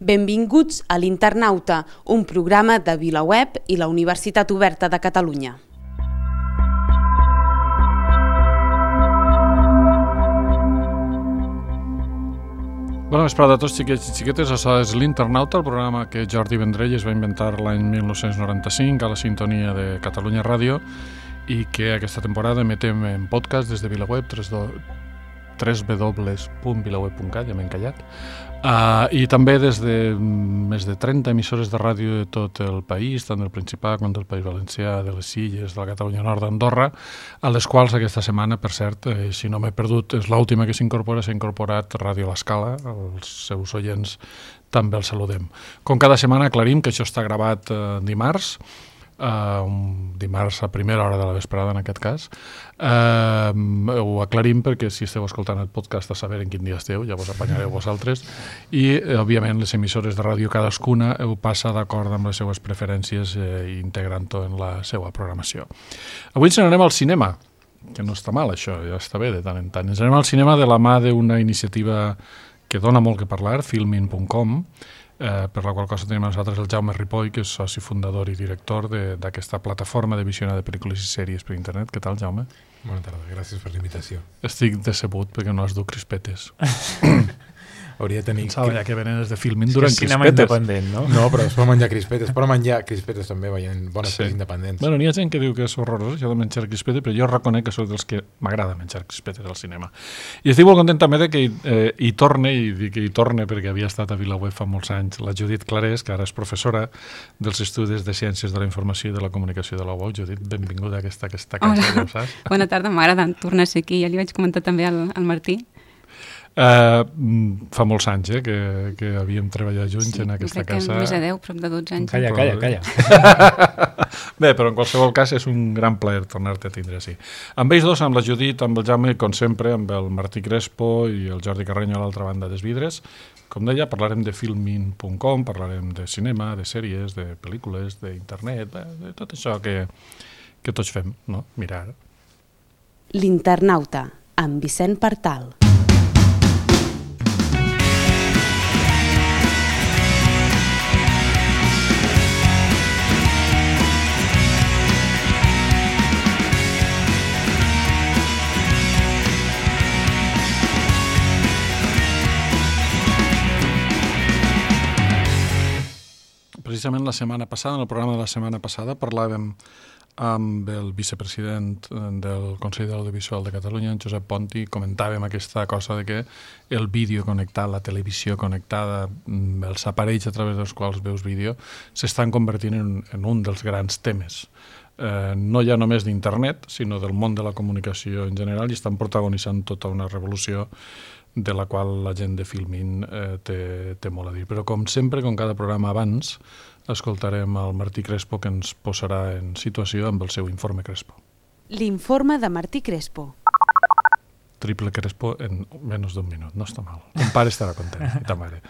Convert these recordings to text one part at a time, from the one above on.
Benvinguts a l'Internauta, un programa de VilaWeb i la Universitat Oberta de Catalunya. Bona vesprada a tots, xiquets i xiquetes. Això és l'Internauta, el programa que Jordi Vendrell es va inventar l'any 1995 a la sintonia de Catalunya Ràdio i que aquesta temporada emetem en podcast des de VilaWeb, www.vilaweb.cat, ja m'he encallat, i també des de més de 30 emissores de ràdio de tot el país, tant del Principat com del País Valencià, de les Illes, de la Catalunya Nord, d'Andorra, a les quals aquesta setmana, per cert, si no m'he perdut, és l'última que s'ha incorporat Ràdio l'Escala. Els seus oients també els saludem. Com cada setmana aclarim que això està gravat dimarts, dimarts a primera hora de la vesprada en aquest cas. Ho aclarim perquè si esteu escoltant el podcast a saber en quin dia esteu, ja vos apanyareu vosaltres, i òbviament les emissores de ràdio cadascuna ho passa d'acord amb les seues preferències integrant-ho en la seva programació. Avui ens n'anem al cinema, que no està mal això, ja està bé de tant en tant. Ens anem al cinema de la mà d'una iniciativa que dona molt que parlar, filmin.com, per la qual cosa tenim a nosaltres el Jaume Ripoll, que és soci fundador i director d'aquesta plataforma de visionar de pel·lícules i sèries per internet. Què tal, Jaume? Bona tarda, gràcies per l'invitació. Estic decebut perquè no has dut crispetes. Hauria de tenir... Pensava ja que venen des de Filmin durant crispetes. Cinema independent, no? No, però es pot menjar crispetes. Es pot menjar crispetes també veient bones pel·lis independents. Bueno, n'hi ha gent que diu que és horrorós això de menjar crispetes, però jo reconec que soc dels que m'agrada menjar crispetes al cinema. I estic molt content també de que hi torne, i dic que hi torne perquè havia estat a VilaWeb fa molts anys, la Judit Clarés, que ara és professora dels Estudis de Ciències de la Informació i de la Comunicació de la UOC. Judit, benvinguda a aquesta casa, ja ho saps? Bona tarda, m'agrada tornar a ser aquí. Ja li vaig comentar també al Martí. Fa molts anys que havíem treballat junts en aquesta casa. Sí, més de 10, prop de 12 anys. Calla. Bé, però en qualsevol cas és un gran plaer tornar-te a tindre així. Amb ells dos, amb la Judit, amb el Jaume, com sempre, amb el Martí Crespo i el Jordi Carreño a l'altra banda dels vidres. Com deia, parlarem de filmin.com, parlarem de cinema, de sèries, de pel·lícules, d'internet, de tot això que tots fem, no? Mirar. L'Internauta, amb Vicent Partal. Precisament la setmana passada, en el programa de la setmana passada, parlàvem amb el vicepresident del Consell de l'Audiovisual de Catalunya, en Josep Ponti, comentàvem aquesta cosa de que el vídeo connectat, la televisió connectada, els aparells a través dels quals veus vídeo, s'estan convertint en un dels grans temes. No ja només d'internet, sinó del món de la comunicació en general, i estan protagonitzant tota una revolució de la qual la gent de Filmin té molt a dir. Però com sempre, com cada programa abans, escoltarem el Martí Crespo, que ens posarà en situació amb el seu informe Crespo. L'informe de Martí Crespo. Triple Crespo en menys d'un minut, no està mal. Ton pare estarà content, i ta mare.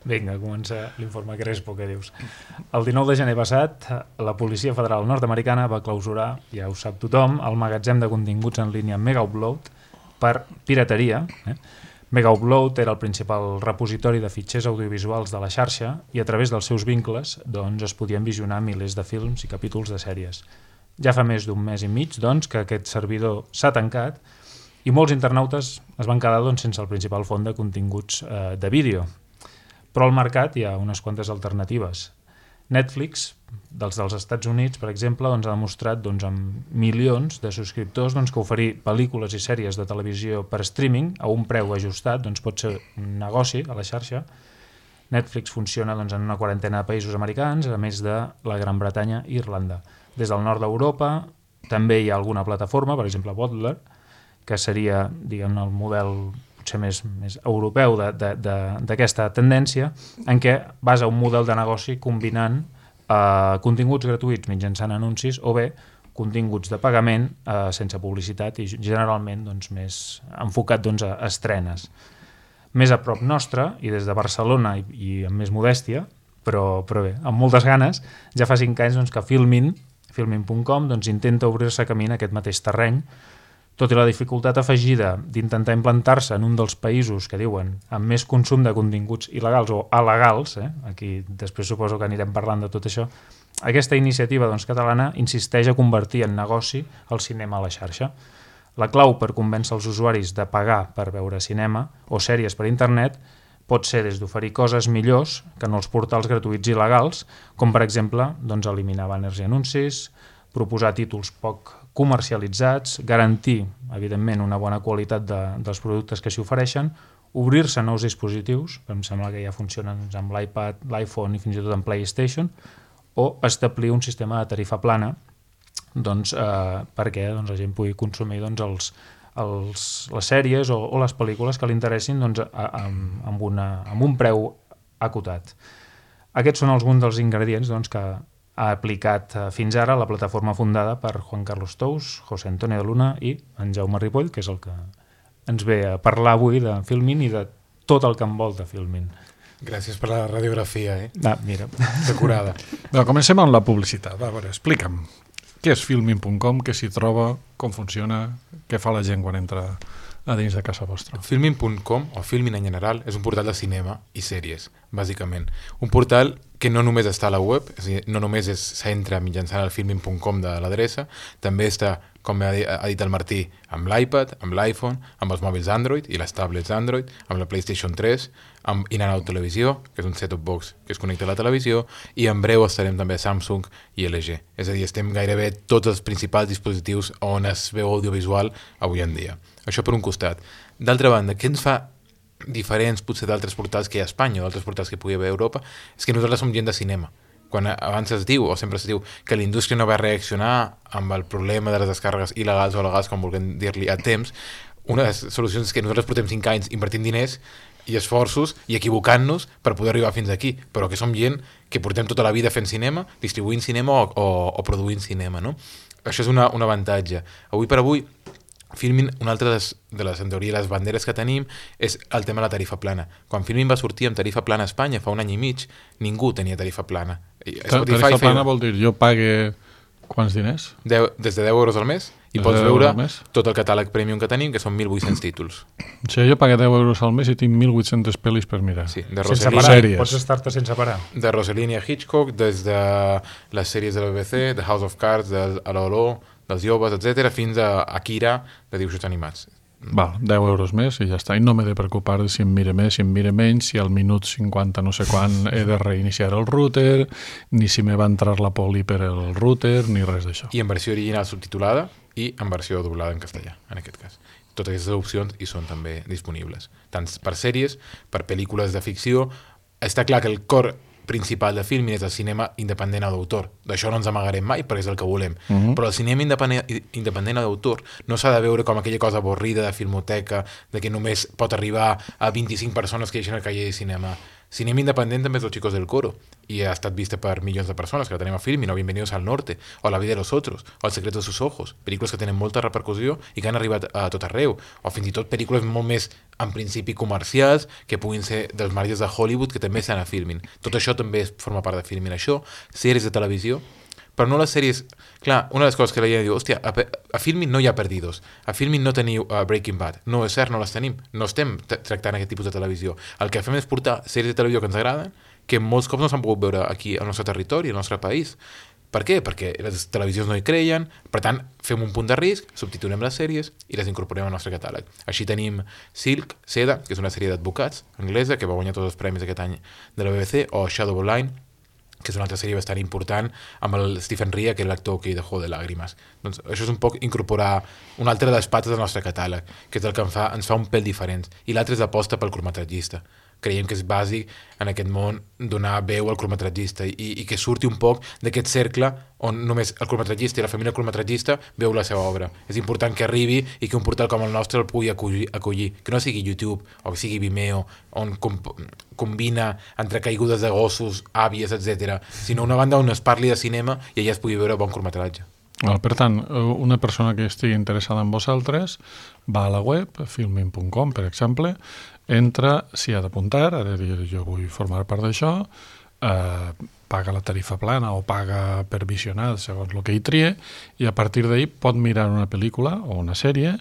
Vinga, comença l'informe Crespo, què dius? El 19 de gener passat, la Policia Federal Nord-Americana va clausurar, ja ho sap tothom, el magatzem de continguts en línia Megaupload per pirateria. Megaupload era el principal repositori de fitxers audiovisuals de la xarxa i a través dels seus vincles es podien visionar milers de films i capítols de sèries. Ja fa més d'un mes i mig que aquest servidor s'ha tancat i molts internautes es van quedar sense el principal font de continguts de vídeo. Però al mercat hi ha unes quantes alternatives. Netflix, dels Estats Units, per exemple, ha demostrat amb milions de subscriptors que oferir pel·lícules i sèries de televisió per streaming a un preu ajustat pot ser un negoci a la xarxa. Netflix funciona en una quarantena de països americans, a més de la Gran Bretanya i Irlanda. Des del nord d'Europa també hi ha alguna plataforma, per exemple Bottler, que seria el model potser més europeu d'aquesta tendència, en què basa un model de negoci combinant continguts gratuïts mitjançant anuncis o bé continguts de pagament sense publicitat i generalment més enfocat a estrenes. Més a prop nostre, i des de Barcelona i amb més modèstia, però bé, amb moltes ganes, ja fa 5 anys que Filmin.com intenta obrir-se camí en aquest mateix terreny Tot i la dificultat afegida d'intentar implantar-se en un dels països que diuen amb més consum de continguts il·legals o alegals, aquí després suposo que anirem parlant de tot això, aquesta iniciativa catalana insisteix a convertir en negoci el cinema a la xarxa. La clau per convèncer els usuaris de pagar per veure cinema o sèries per internet pot ser des d'oferir coses millors que en els portals gratuïts il·legals, com per exemple eliminar banners i anuncis, proposar títols poc comercialitzats, garantir, evidentment, una bona qualitat dels productes que s'hi ofereixen, obrir-se nous dispositius, que em sembla que ja funcionen amb l'iPad, l'iPhone i fins i tot amb PlayStation, o establir un sistema de tarifa plana perquè la gent pugui consumir les sèries o les pel·lícules que li interessin amb un preu acotat. Aquests són alguns dels ingredients que ha aplicat fins ara la plataforma fundada per Juan Carlos Tous, José Antonio de Luna i en Jaume Ripoll, que és el que ens ve a parlar avui de Filmin i de tot el que envolta Filmin. Gràcies per la radiografia, Mira. Acurada. Comencem amb la publicitat. A veure, explica'm. Què és Filmin.com, què s'hi troba, com funciona, què fa la gent quan entra a dins de casa vostra? Filmin.com, o Filmin en general, és un portal de cinema i sèries, bàsicament. Un portal que no només està a la web, és a dir, no només s'entra mitjançant el Filmin.com de l'adreça, també està, com ha dit el Martí, amb l'iPad, amb l'iPhone, amb els mòbils Android i les tablets Android, amb la PlayStation 3, amb In-N-Out Televisió, que és un set-top box que es connecta a la televisió, i en breu estarem també a Samsung i LG. És a dir, estem gairebé tots els principals dispositius on es veu audiovisual avui en dia. Això per un costat. D'altra banda, què ens fa diferents potser d'altres portals que hi ha a Espanya o d'altres portals que pugui haver a Europa? És que nosaltres som gent de cinema. Quan abans es diu, o sempre es diu, que la indústria no va reaccionar amb el problema de les descàrregues il·legals o legals, com vulguem dir-li, a temps, una de les solucions és que nosaltres portem 5 anys invertint diners i esforços i equivocant-nos per poder arribar fins aquí, però que som gent que portem tota la vida fent cinema, distribuint cinema o produint cinema, no? Això és un avantatge. Avui per avui, Filmin, una altra de les, en teoria, les banderes que tenim és el tema de la tarifa plana. Quan Filmin va sortir amb tarifa plana a Espanya fa un any i mig, ningú tenia tarifa plana. Tarifa plana vol dir, jo pague quants diners? Des de 10 euros al mes i pots veure tot el catàleg premium que tenim, que són 1.800 títols. O sigui, jo pague 10 euros al mes i tinc 1.800 pel·lis per mirar. Sí, de sense parar, pots estar-te sense parar. De Rossellini a Hitchcock, des de les sèries de la BBC, de House of Cards, de Aloló, dels joves, etc., fins a Akira, de dibuixos animats. Val, 10 euros més i ja està. I no m'he de preocupar de si em mire més, si em mire menys, si al minut 50 no sé quan he de reiniciar el router, ni si me va entrar la poli per el router, ni res d'això. I en versió original subtitulada i en versió doblada en castellà, en aquest cas. Totes aquestes opcions hi són també disponibles. Tant per sèries, per pel·lícules de ficció. Està clar que el cor principal de Filmin és el cinema independent o d'autor. D'això no ens amagarem mai perquè és el que volem. Però el cinema independent o d'autor no s'ha de veure com aquella cosa avorrida de filmoteca, de que només pot arribar a 25 persones que deixen el caller de cinema. Cinema independent també és Los Chicos del Coro i ha estat vista per milions de persones que la tenim a Filmin, o Bienvenidos al Norte, o La vida de los otros, o El secreto de sus ojos, pel·lícules que tenen molta repercussió i que han arribat a tot arreu, o fins i tot pel·lícules molt més en principi comercials que puguin ser dels marges de Hollywood que també estan a Filmin. Tot això també forma part de Filmin. Això, sèries de televisió, però no les sèries. Clar, una de les coses que la gent diu, hòstia, a Filmin no hi ha perdidos, a Filmin no teniu Breaking Bad. No, és cert, no les tenim, no estem tractant aquest tipus de televisió. El que fem és portar sèries de televisió que ens agraden, que molts cops no s'han pogut veure aquí al nostre territori, al nostre país. Per què? Perquè les televisions no hi creien, per tant, fem un punt de risc, subtitulem les sèries i les incorporem al nostre catàleg. Així tenim Silk, Seda, que és una sèrie d'advocats anglesa, que va guanyar tots els premis aquest any de la BBC, o Shadow of Line, que és una altra sèrie bastant important, amb el Stephen Rea, que és l'actor que hi dejó de làgrimes. Doncs això és un poc incorporar una altra de les pates del nostre catàleg, que és el que ens fa un pèl diferent. I l'altre és l'aposta pel curtmetratgista. Creiem que és bàsic en aquest món donar veu al curtmetratgista i que surti un poc d'aquest cercle on només el curtmetratgista i la família curtmetratgista veu la seva obra. És important que arribi i que un portal com el nostre el pugui acollir. Que no sigui YouTube o que sigui Vimeo, on combina entre caigudes de gossos, àvies, etc. Sinó una banda on es parli de cinema i allà es pugui veure bon curtmetratge. Per tant, una persona que estigui interessada en vosaltres va a la web, filmin.com, per exemple, entra, s'hi ha d'apuntar, ha de dir jo vull formar part d'això, paga la tarifa plana o paga per visionar segons el que hi trie, i a partir d'ahir pot mirar una pel·lícula o una sèrie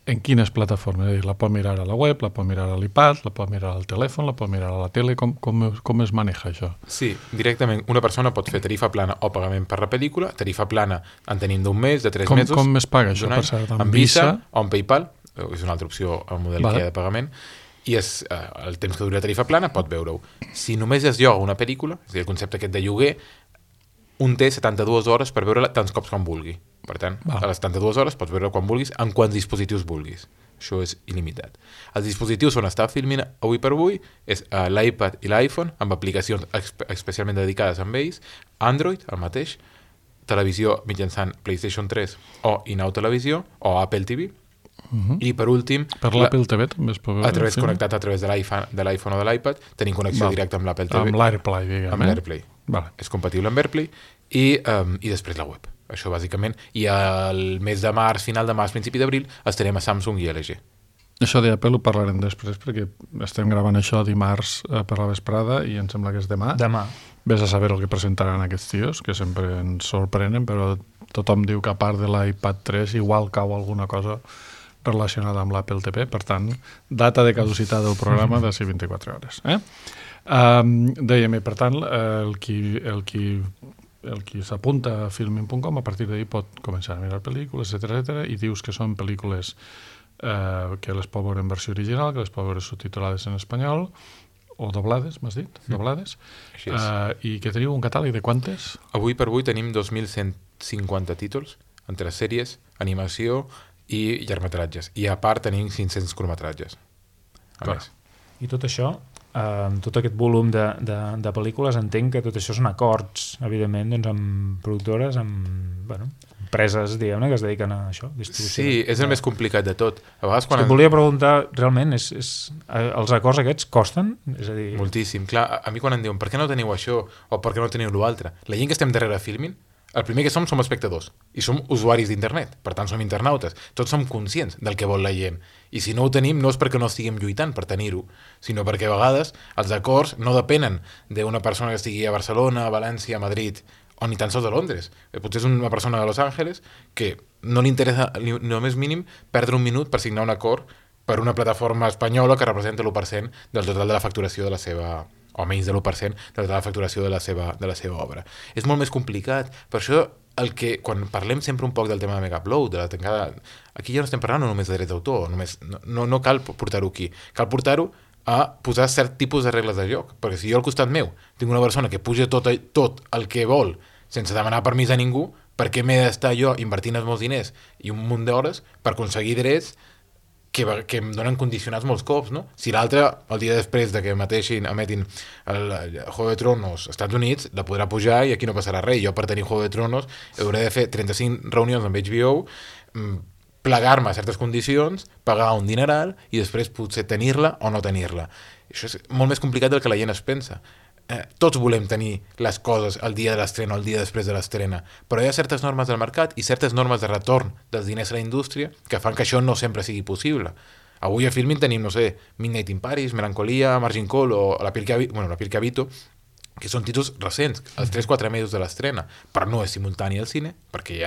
en quines plataformes. És a dir, la pot mirar a la web, la pot mirar a l'iPad, la pot mirar al telèfon, la pot mirar a la tele. Com es maneja això? Sí, directament una persona pot fer tarifa plana o pagament per la pel·lícula. Tarifa plana en tenim d'un mes, de 3 mesos. Com es paga això? Per cert, amb Visa o amb PayPal, és una altra opció al model que hi ha de pagament, i és el temps que duri la tarifa plana pot veure-ho. Si només es lloga una pel·lícula, és a dir, el concepte aquest de lloguer, un té 72 hores per veure-la tants cops com vulgui. Per tant, a les 72 hores pots veure quan vulguis, en quants dispositius vulguis. Això és il·limitat. Els dispositius on està Filmin avui per avui és l'iPad i l'iPhone, amb aplicacions especialment dedicades a ells, Android, el mateix, televisió mitjançant PlayStation 3 o Inau Televisió o Apple TV, i per últim... Per l'Apple TV també es pot veure? Connectat a través de l'iPhone o de l'iPad, tenim connexió directa amb l'Apple TV. Amb l'AirPlay, diguem. Amb l'AirPlay. És compatible amb AirPlay i després la web. Això bàsicament. I el mes de març, final de març, principi d'abril, estarem a Samsung i LG. Això d'Apple ho parlarem després perquè estem gravant això dimarts per la vesprada i em sembla que és demà. Demà. Ves a saber el que presentaran aquests tios, que sempre ens sorprenen, però tothom diu que a part de l'iPad 3 igual cau alguna cosa relacionada amb l'Apple TV. Per tant, data de caducitat del programa de 24 hores. Dèiem, per tant, el qui s'apunta a filmin.com a partir d'ahir pot començar a mirar pel·lícules, etc, i dius que són pel·lícules que les pot veure en versió original, que les pot veure subtitulades en espanyol o doblades, m'has dit? Doblades. I que teniu un catàleg de quantes? Avui per avui tenim 2.150 títols entre sèries, animació i llargmetratges. I a part tenim 500 curtmetratges. I tot això, tot aquest volum de pel·lícules, entenc que tot això són acords, evidentment, doncs, amb productores, amb empreses, diguem-ne, que es dediquen a això, distribució. Sí, és el més complicat de tot. A vegades quan... Volia preguntar, realment, els acords aquests costen? És a dir... Moltíssim. Clar, a mi quan em diuen per què no teniu això o per què no teniu l'altre, la gent que estem darrere Filmin, el primer que som espectadors i som usuaris d'internet, per tant som internautes, tots som conscients del que vol la gent, i si no ho tenim no és perquè no estiguem lluitant per tenir-ho, sinó perquè a vegades els acords no depenen d'una persona que estigui a Barcelona, a València, a Madrid o ni tan sols a Londres. Potser és una persona de Los Angeles que no li interessa ni el més mínim perdre un minut per signar un acord per una plataforma espanyola que representa l'1% del total de la facturació de la seva, o menys de l'1% de la facturació de la seva obra. És molt més complicat. Per això, quan parlem sempre un poc del tema de Megaupload, de la tancada, aquí ja no estem parlant només de drets d'autor, no cal portar-ho aquí. Cal portar-ho a posar cert tipus de regles de joc. Perquè si jo al costat meu tinc una persona que puja tot el que vol sense demanar permís a ningú, per què m'he d'estar jo invertint els meus diners i un munt d'hores per aconseguir drets que em donen condicionats molts cops, no? Si l'altre, el dia després de que emetin el Juego de Tronos als Estats Units, la podrà pujar i aquí no passarà res. Jo, per tenir Juego de Tronos, hauré de fer 35 reunions amb HBO, plegar-me a certes condicions, pagar un dineral i després potser tenir-la o no tenir-la. Això és molt més complicat del que la gent es pensa. Tots volem tenir les coses el dia de l'estrena o el dia després de l'estrena, però hi ha certes normes del mercat i certes normes de retorn dels diners a la indústria que fan que això no sempre sigui possible. Avui a Filmin tenim, Midnight in Paris, Melancolia, Margin Call o La piel que habito, que són títols recents, els 3-4 mesos de l'estrena, però no és simultani al cine, perquè hi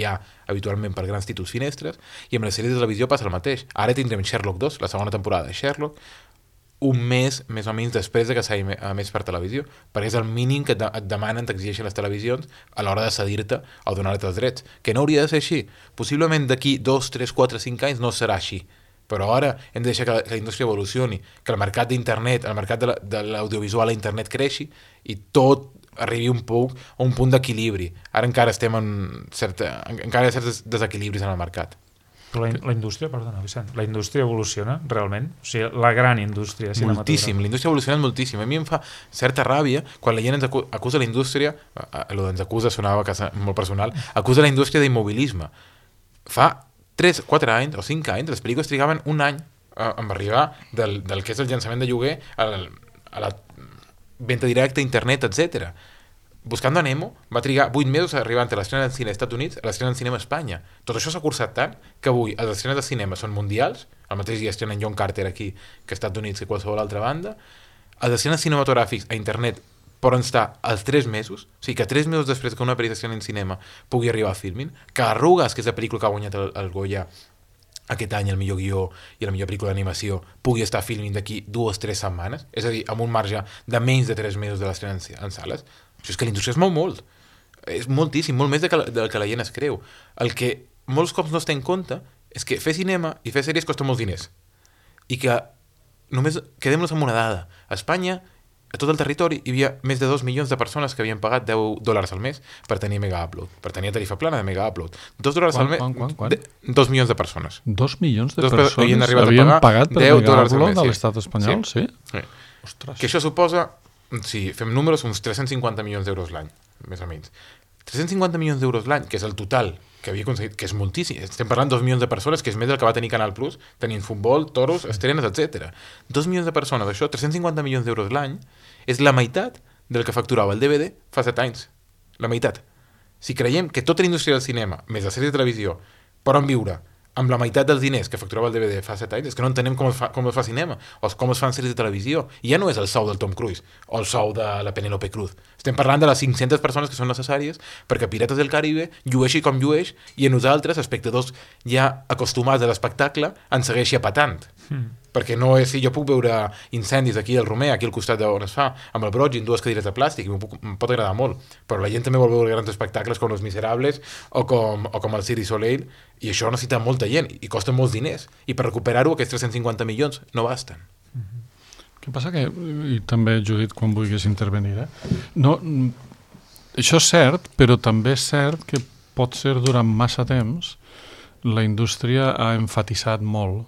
ha habitualment per grans títols finestres, i amb les sèries de televisió passa el mateix. Ara tindrem Sherlock 2, la segona temporada de Sherlock, un mes, més o menys, després de que s'hagi emès per televisió, perquè és el mínim que et demanen, t'exigeixen les televisions a l'hora de cedir-te o donar-te els drets, que no hauria de ser així. Possiblement d'aquí 2, 3, 4, 5 anys no serà així, però ara hem de deixar que la indústria evolucioni, que el mercat d'internet, el mercat de l'audiovisual a internet creixi i tot arribi un punt d'equilibri. Ara encara estem encara hi ha certs desequilibris en el mercat. Però la indústria, perdona, Vicent, la indústria evoluciona realment? O sigui, la gran indústria cinematogràfica. Moltíssim, la indústria ha evolucionat moltíssim. A mi em fa certa ràbia quan la gent ens acusa la indústria, ens acusa sonava molt personal, acusa la indústria d'immobilisme. Fa 3, 4 anys o 5 anys, les pel·lícules trigaven un any a arribar del que és el llançament de lloguer a la venda directa, internet, etc. Buscando a Nemo va trigar 8 mesos a arribar entre l'estrena del cine als Estats Units i l'estrena del cinema a Espanya. Tot això s'ha cursat tant que avui les estrenes de cinema són mundials, el mateix dia estrenen John Carter aquí que als Estats Units que qualsevol altra banda, els estrenes cinematogràfics a internet poden estar als 3 mesos, o sigui que 3 mesos després que una pel·lícula s'estreni en cinema pugui arribar a Filmin, que Arrugues, que és la pel·lícula que ha guanyat el Goya aquest any, el millor guió i la millor pel·lícula d'animació, pugui estar a Filmin d'aquí 2-3 setmanes, és a dir, amb un marge de menys de 3 mesos de l'estrena en sales. Això és que la indústria es mou molt. És moltíssim, molt més del que la gent es creu. El que molts cops no es té en compte és que fer cinema i fer sèries costa molts diners. I que només quedem-nos amb una dada. A Espanya, a tot el territori, hi havia més de 2 milions de persones que havien pagat $10 al mes per tenir Mega Upload, per tenir tarifa plana de Mega Upload. $2 al mes... Quan? 2 milions de persones. 2 milions de Dos havien persones arribat a havien pagar pagat per $10 Mega al mes, Upload a sí. l'estat espanyol, sí? Sí. Ostres. Que això suposa, si fem números, uns 350 milions d'euros l'any, més o menys. 350 milions d'euros l'any, que és el total que havia aconseguit, que és moltíssim. Estem parlant 2 milions de persones, que és més del que va tenir Canal Plus, tenint futbol, toros, estrenes, etc. 2 milions de persones, això, 350 milions d'euros l'any, és la meitat del que facturava el DVD fa 7 anys. La meitat. Si creiem que tota la indústria del cinema, més la sèrie de televisió, poden viure amb la meitat dels diners que facturava el DVD fa 7 anys, és que no entenem com es fa cinema, o com es fan sèries de televisió. I ja no és el sou del Tom Cruise, o el sou de la Penélope Cruz. Estem parlant de les 500 persones que són necessàries perquè Pirates del Caribe llueixi com llueix i a nosaltres, espectadors ja acostumats a l'espectacle, ens segueixi apatant. Perquè no és, si jo puc veure incendis aquí al Romer, aquí al costat d'on es fa, amb el Broig, en 2 cadires de plàstic, i em pot agradar molt, però la gent també vol veure grans espectacles com Los Miserables o com el Cirque du Soleil, i això necessita molta gent, i costa molts diners, i per recuperar-ho aquests 350 milions no basten. Què passa que, i també Judit quan vulguis intervenir, no, això és cert, però també és cert que pot ser durant massa temps la indústria ha emfatitzat molt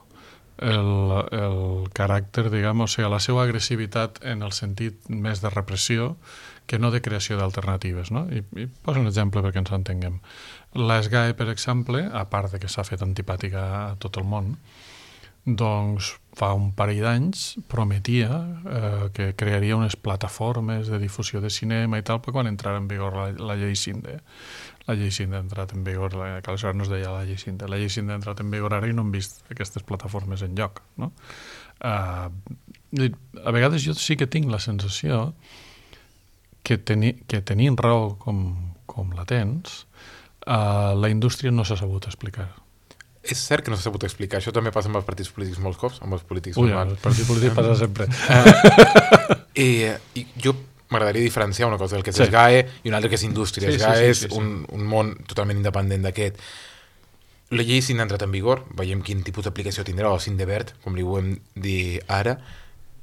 el caràcter, diguem, o sigui, la seva agressivitat en el sentit més de repressió que no de creació d'alternatives, no? I poso un exemple perquè ens entenguem. La SGAE, per exemple, a part de que s'ha fet antipàtica a tot el món, doncs fa un parell d'anys prometia que crearia unes plataformes de difusió de cinema i tal, però quan entrara en vigor la llei Cinde. La llei Cinde ha entrat en vigor, que aleshores no es deia la llei Cinde. La llei Cinde ha entrat en vigor ara i no hem vist aquestes plataformes en lloc. No? A vegades jo sí que tinc la sensació que tenint raó com la tens, la indústria no s'ha sabut explicar. És cert que no s'ha sabut explicar. Això també passa amb els partits polítics molts cops, amb els polítics normals. Els partits polítics passa sempre. I jo m'agradaria diferenciar una cosa, el que és SGAE i una altra que és indústria. SGAE és un món totalment independent d'aquest. La llei Cinde ha entrat en vigor, veiem quin tipus d'aplicació tindrà, o Cinde Verd, com li volem dir ara,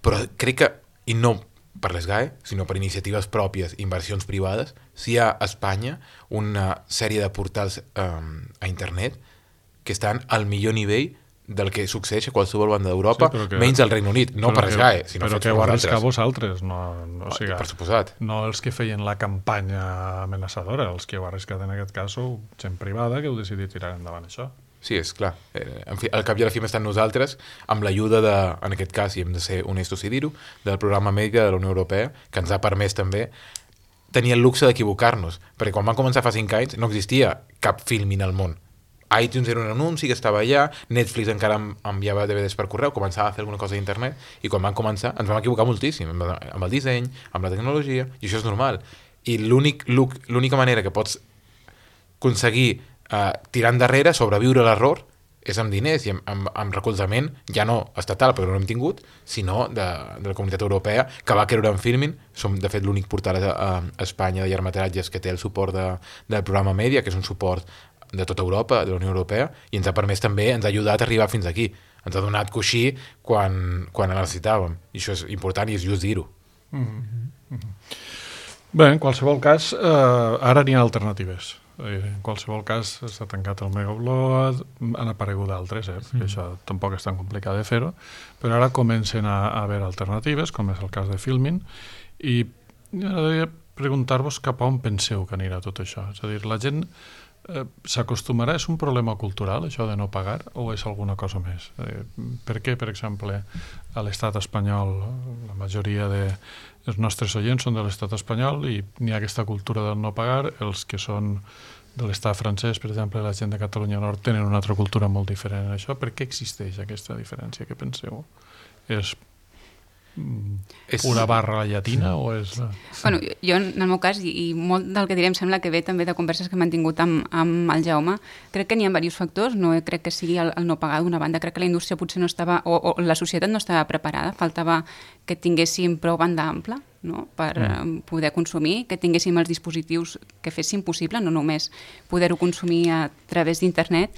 però crec que, i no per l'SGAE, sinó per iniciatives pròpies, inversions privades, si hi ha a Espanya una sèrie de portals a internet que estan al millor nivell del que succeeix a qualsevol banda d'Europa, menys al Regne Unit, no per SGAE, sinó però que ho arriscar vosaltres, no, per suposat. No els que feien la campanya amenaçadora, els que heu arriscat en aquest cas sou gent privada que heu decidit tirar endavant això. Sí, és clar. En fi, al cap i a la fi estan nosaltres, amb l'ajuda de, en aquest cas, i hem de ser honestos i dir-ho, del programa Mèdica de la Unió Europea, que ens ha permès també tenir el luxe d'equivocar-nos, perquè quan van començar fa 5 anys no existia cap Filmin al món. iTunes era un anunci que estava allà, Netflix encara enviava DVDs per correu, començava a fer alguna cosa a internet, i quan van començar ens vam equivocar moltíssim amb el disseny, amb la tecnologia, i això és normal. I l'única manera que pots aconseguir tirar endarrere, sobreviure l'error, és amb diners i amb recolzament, ja no estatal, perquè no l'hem tingut, sinó de la Comunitat Europea, que va creure en Filmin. Som, de fet, l'únic portal a Espanya de llargmetratges que té el suport del programa Mèdia, que és un suport de tota Europa, de la Unió Europea, i ens ha permès també, ens ha ajudat a arribar fins aquí. Ens ha donat coixí quan la necessitàvem. I això és important i és just dir-ho. Bé, en qualsevol cas, ara n'hi ha alternatives. En qualsevol cas, s'ha tancat el Mega Upload, han aparegut d'altres, això tampoc és tan complicat de fer-ho, però ara comencen a haver alternatives, com és el cas de Filmin, i m'agradaria preguntar-vos cap a on penseu que anirà tot això. És a dir, la gent s'acostumarà, és un problema cultural això de no pagar o és alguna cosa més? Per què, per exemple, a l'estat espanyol la majoria dels nostres oients són de l'estat espanyol i n'hi ha aquesta cultura del no pagar, els que són de l'estat francès, per exemple, la gent de Catalunya Nord tenen una altra cultura molt diferent en això. Per què existeix aquesta diferència? Què penseu? És pura barra llatina o és... Bueno, jo, en el meu cas, i molt del que direm sembla que ve també de converses que hem mantingut amb el Jaume, crec que n'hi ha diversos factors, no crec que sigui el no pagar d'una banda, crec que la indústria potser no estava, o la societat no estava preparada, faltava que tinguéssim prou banda ampla, no? Per poder consumir, que tinguéssim els dispositius que fessin possible, no només poder-ho consumir a través d'internet,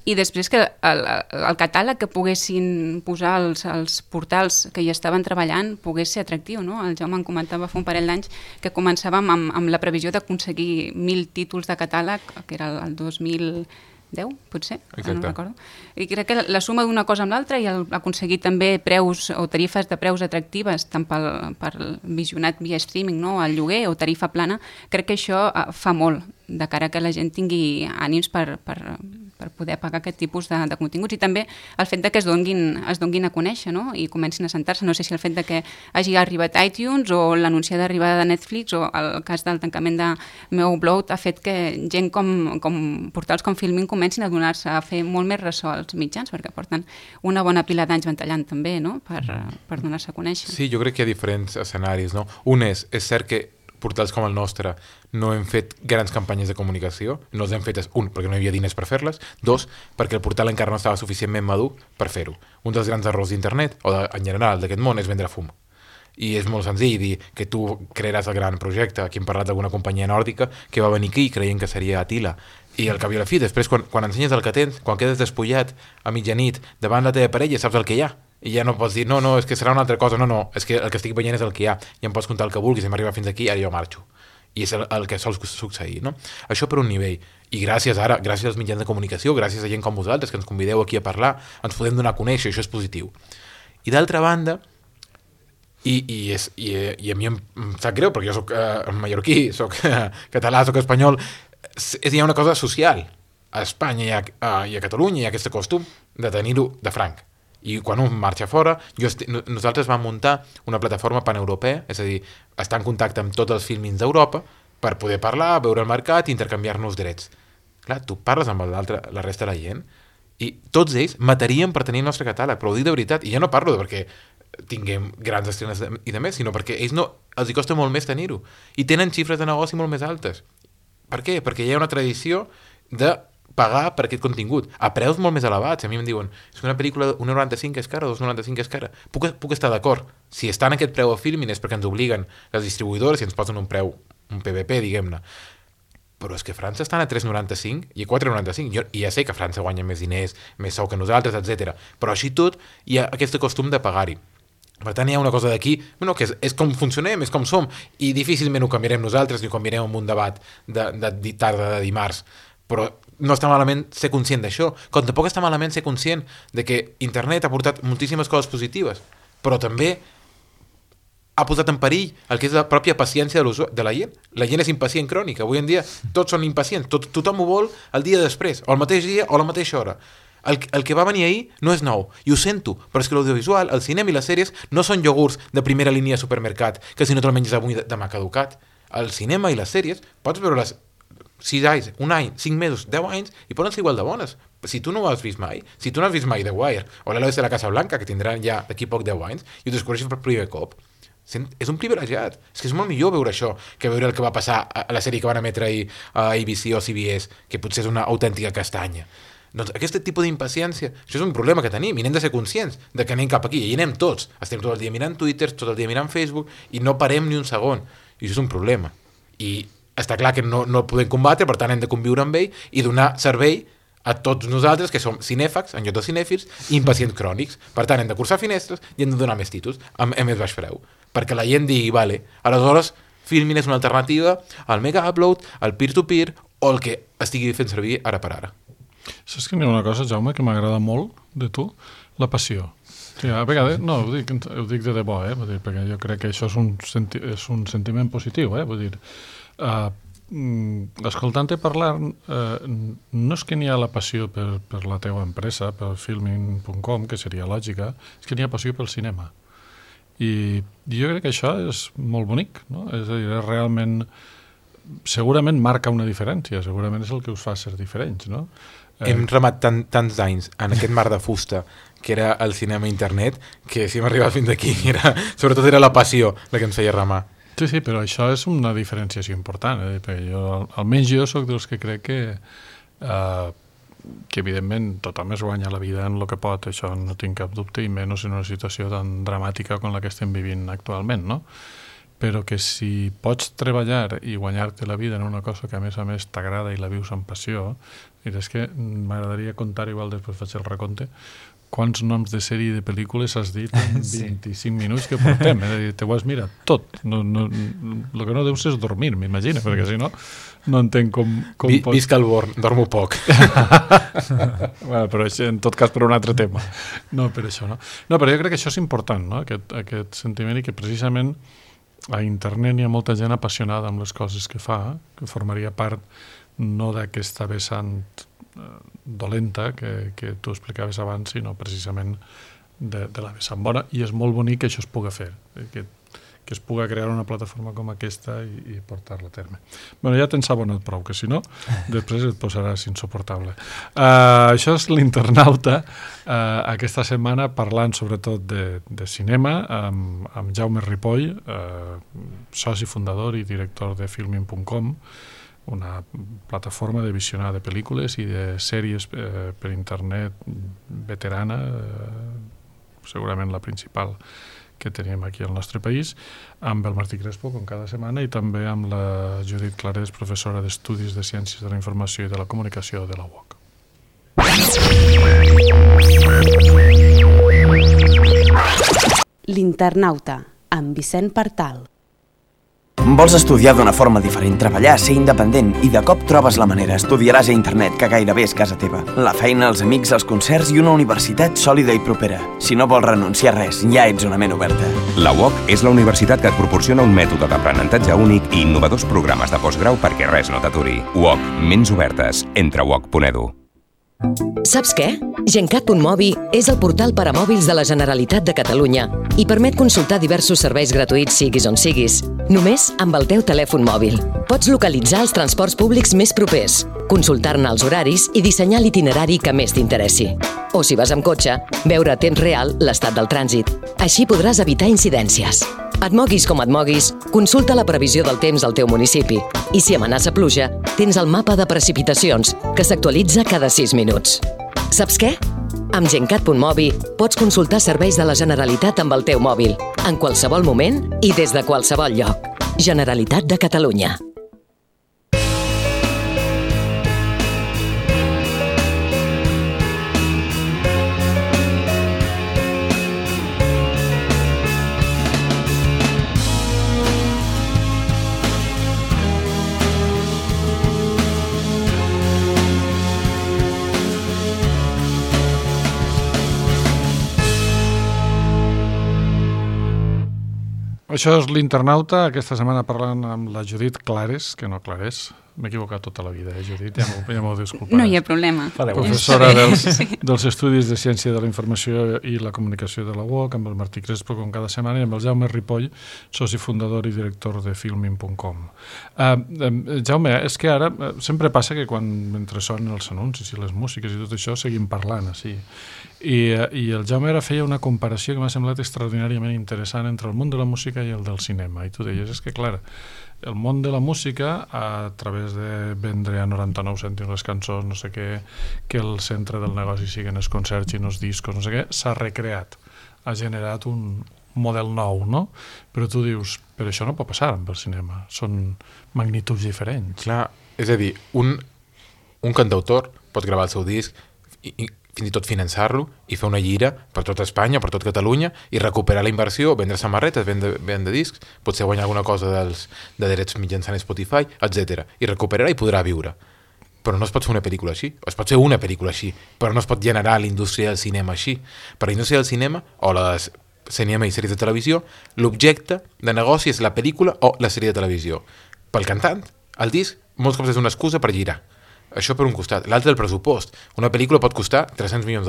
i després que el catàleg que poguessin posar els portals que hi estaven treballant pogués ser atractiu, no? El Jaume em comentava fa un parell d'anys que començàvem amb la previsió d'aconseguir 1.000 títols de catàleg, que era el 2010, potser, no recordo. I crec que la suma d'una cosa amb l'altra i aconseguir també preus o tarifes de preus atractives tant pel visionat via streaming, no? El lloguer o tarifa plana, crec que això fa molt de cara que la gent tingui ànims per poder pagar aquest tipus de continguts, i també el fet de que es donguin a conèixer, no? I comencin a sentar-se. No sé si el fet de que hagi arribat iTunes o l'anunci d'arribada de Netflix o el cas del tancament de Meu Upload ha fet que gent com portals com Filmin comencin a donar-se a fer molt més ressò als mitjans, perquè porten una bona pila d'anys ventallant també, no? Per donar-se a conèixer. Sí, jo crec que hi ha diferents escenaris, no? Un és cert que portals com el nostre no hem fet grans campanyes de comunicació, no les hem fetes, un, perquè no hi havia diners per fer-les, dos, perquè el portal encara no estava suficientment madur per fer-ho. Un dels grans errors d'internet, o en general d'aquest món, és vendre fum. I és molt senzill dir que tu crearàs el gran projecte. Aquí hem parlat d'alguna companyia nòrdica que va venir aquí creient que seria Attila. I al cap i a la fi, després, quan ensenyes el que tens, quan quedes despullat a mitjanit davant la teva parella, saps el que hi ha. I ja no pots dir, no, és que serà una altra cosa, no, és que el que estic veient és el que hi ha, i em pots contar el que vulguis, hem arribat fins aquí, ara jo marxo. I és el que sol succeir, no? Això per un nivell. I gràcies als mitjans de comunicació, gràcies a gent com vosaltres, que ens convideu aquí a parlar, ens podem donar a conèixer, això és positiu. I d'altra banda, i a mi em sap greu, perquè jo soc mallorquí, soc català, soc espanyol, hi ha una cosa social. A Espanya i a Catalunya hi ha aquest costum de tenir-ho de franc. I quan un marxa fora, nosaltres vam muntar una plataforma paneuropea, és a dir, estar en contacte amb tots els filmins d'Europa per poder parlar, veure el mercat i intercanviar-nos drets. Clar, tu parles amb la resta de la gent i tots ells matarien per tenir el nostre catàleg, però ho dic de veritat, i ja no parlo perquè tinguem grans estrenes i de més, sinó perquè ells els hi costa molt més tenir-ho. I tenen xifres de negoci molt més altes. Per què? Perquè hi ha una tradició de pagar per aquest contingut, a preus molt més elevats. A mi em diuen, és que una pel·lícula 1,95 és cara, 2,95 és cara. Puc estar d'acord. Si està en aquest preu a Filmin és perquè ens obliguen les distribuïdores i ens posen un preu, un PVP, diguem-ne. Però és que a França estan a 3,95 i a 4,95. I ja sé que a França guanya més diners, més sou que nosaltres, etc. Però així tot hi ha aquest costum de pagar-hi. Per tant, hi ha una cosa d'aquí, que és com funcionem, és com som, i difícilment ho canviarem nosaltres ni ho canviarem en un debat de tarda de dimarts. Però no està malament ser conscient d'això, com tampoc està malament ser conscient de que internet ha portat moltíssimes coses positives, però també ha posat en perill el que és la pròpia paciència de la gent. La gent és impacient crònica. Avui en dia tots són impacients. Tothom ho vol el dia després, o el mateix dia o a la mateixa hora. El que va venir ahir no és nou, i ho sento, però és que l'audiovisual, el cinema i les sèries no són iogurts de primera línia de supermercat, que si no te'l menges avui demà caducat. El cinema i les sèries, pots veure-les 6 anys, un any, 5 mesos, 10 anys, i poden ser igual de bones. Si tu no ho has vist mai, si tu no has vist mai The Wire, o l'Eloís de la Casa Blanca, que tindran ja d'aquí poc 10 anys, i ho descobreixes per primer cop, és un privilegiat. És que és molt millor veure això que veure el que va passar a la sèrie que van emetre ahir a ABC o CBS, que potser és una autèntica castanya. Doncs aquest tipus d'impaciència, això és un problema que tenim, i n'hem de ser conscients de que anem cap aquí, i anem tots. Estem tot el dia mirant Twitter, tot el dia mirant Facebook, i no parem ni un segon. I això és un problema. I està clar que no el podem combatre, per tant hem de conviure amb ell i donar servei a tots nosaltres, que som cinèfags, en lloc de cinèfils, i impacients crònics. Per tant, hem de cursar finestres i hem de donar més títols, amb més baix preu. Perquè la gent digui, vale, aleshores Filmin és una alternativa al mega upload, al peer-to-peer, o el que estigui fent servir ara per ara. Saps que hi ha una cosa, Jaume, que m'agrada molt de tu? La passió. Sí, a vegades, no, ho dic de debò, vull dir, perquè jo crec que això és un sentiment positiu, vull dir, escoltant-te parlar, no és que n'hi ha la passió per la teva empresa, per filming.com, que seria lògica, és que n'hi ha passió pel cinema. I jo crec que això és molt bonic, no? És a dir, és realment, segurament marca una diferència, segurament és el que us fa ser diferents, no? Hem remat tants anys en aquest mar de fusta que era el cinema internet, que si hem arribat fins aquí, sobretot era la passió la que ens feia remar. Sí, però això és una diferenciació important, perquè almenys jo sóc dels que crec que evidentment tothom es guanya la vida en el que pot, això no tinc cap dubte, i menys en una situació tan dramàtica com la que estem vivint actualment, no? Però que si pots treballar i guanyar-te la vida en una cosa que a més t'agrada i la vius amb passió, és que m'agradaria contar, igual després faig el recompte, quants noms de sèrie i de pel·lícules has dit en 25 minuts que portem. Te ho has mirat tot. El que no deus és dormir, m'imagino, perquè si no, no entenc com Visca el Born, dormo poc. Bueno, però en tot cas per un altre tema. No, per això no. No, però jo crec que això és important, no? Aquest sentiment, i que precisament a internet hi ha molta gent apassionada amb les coses que fa, que formaria part no d'aquesta vessant dolenta que tu explicaves abans, sinó precisament de la vessant bona, i és molt bonic que això es puga fer, que es puga crear una plataforma com aquesta i portar-la a terme. Bueno, ja t'ens abonat prou, que si no, després et posaràs insuportable. Això és l'Internauta, aquesta setmana parlant sobretot de cinema, amb Jaume Ripoll, soci fundador i director de filmin.com, una plataforma de visionar de pel·lícules i de sèries per internet veterana, segurament la principal que tenim aquí al nostre país, amb el Martí Crespo, com cada setmana, i també amb la Judit Clarés, professora d'Estudis de Ciències de la Informació i de la Comunicació de la UOC. L'Internauta, amb Vicent Partal. Vols estudiar d'una forma diferent, treballar, ser independent, i de cop trobes la manera. Estudiaràs a internet, que gairebé és casa teva. La feina, els amics, els concerts i una universitat sòlida i propera. Si no vols renunciar a res, ja ets una ment oberta. La UOC és la universitat que et proporciona un mètode d'aprenentatge únic i innovadors programes de postgrau perquè res no t'aturi. UOC, ments obertes. Entra a uoc.edu. Saps què? Gencat.mobi és el portal per a mòbils de la Generalitat de Catalunya i permet consultar diversos serveis gratuïts siguis on siguis, només amb el teu telèfon mòbil. Pots localitzar els transports públics més propers, consultar-ne els horaris i dissenyar l'itinerari que més t'interessi. O si vas amb cotxe, veure a temps real l'estat del trànsit. Així podràs evitar incidències. Et moguis com et moguis, consulta la previsió del temps al teu municipi. I si amenaça pluja, tens el mapa de precipitacions, que s'actualitza cada 6 minuts. Saps què? Amb Gencat.mobi pots consultar serveis de la Generalitat amb el teu mòbil, en qualsevol moment i des de qualsevol lloc. Generalitat de Catalunya. Això és l'Internauta, aquesta setmana parlant amb la Judit Clarés, que no Clarés, m'he equivocat tota la vida, Judit? Ja m'ho disculparàs. No hi ha problema. Professora dels Estudis de Ciència de la Informació i la Comunicació de la UOC, amb el Martí Crespo, com cada setmana, i amb el Jaume Ripoll, soci fundador i director de filmin.com. Jaume, és que ara sempre passa que mentre sonen els anuncis i les músiques i tot això, seguim parlant així. I el Jaume ara feia una comparació que m'ha semblat extraordinàriament interessant entre el món de la música i el del cinema. I tu deies, és que clar, el món de la música, a través de vendre a 99 cèntims les cançons, no sé què, que el centre del negoci siguin els concerts i els discos, no sé què, s'ha recreat, ha generat un model nou, no? Però tu dius, però això no pot passar amb el cinema, són magnituds diferents. Clar, és a dir, un cantautor pot gravar el seu disc i fins i tot finançar-lo i fer una gira per tot Espanya, per tot Catalunya i recuperar la inversió, vendre samarretes, vendre discs, potser guanyar alguna cosa de drets mitjançant Spotify, etc. I recuperarà i podrà viure. Però no es pot fer una pel·lícula així. Es pot fer una pel·lícula així, però no es pot generar la indústria del cinema així. Per la indústria del cinema, o la cinema i sèries de televisió, l'objecte de negoci és la pel·lícula o la sèrie de televisió. Pel cantant, el disc molts cops és una excusa per girar. Això per un costat. L'altre, el pressupost. Una pel·lícula pot costar $300 milions.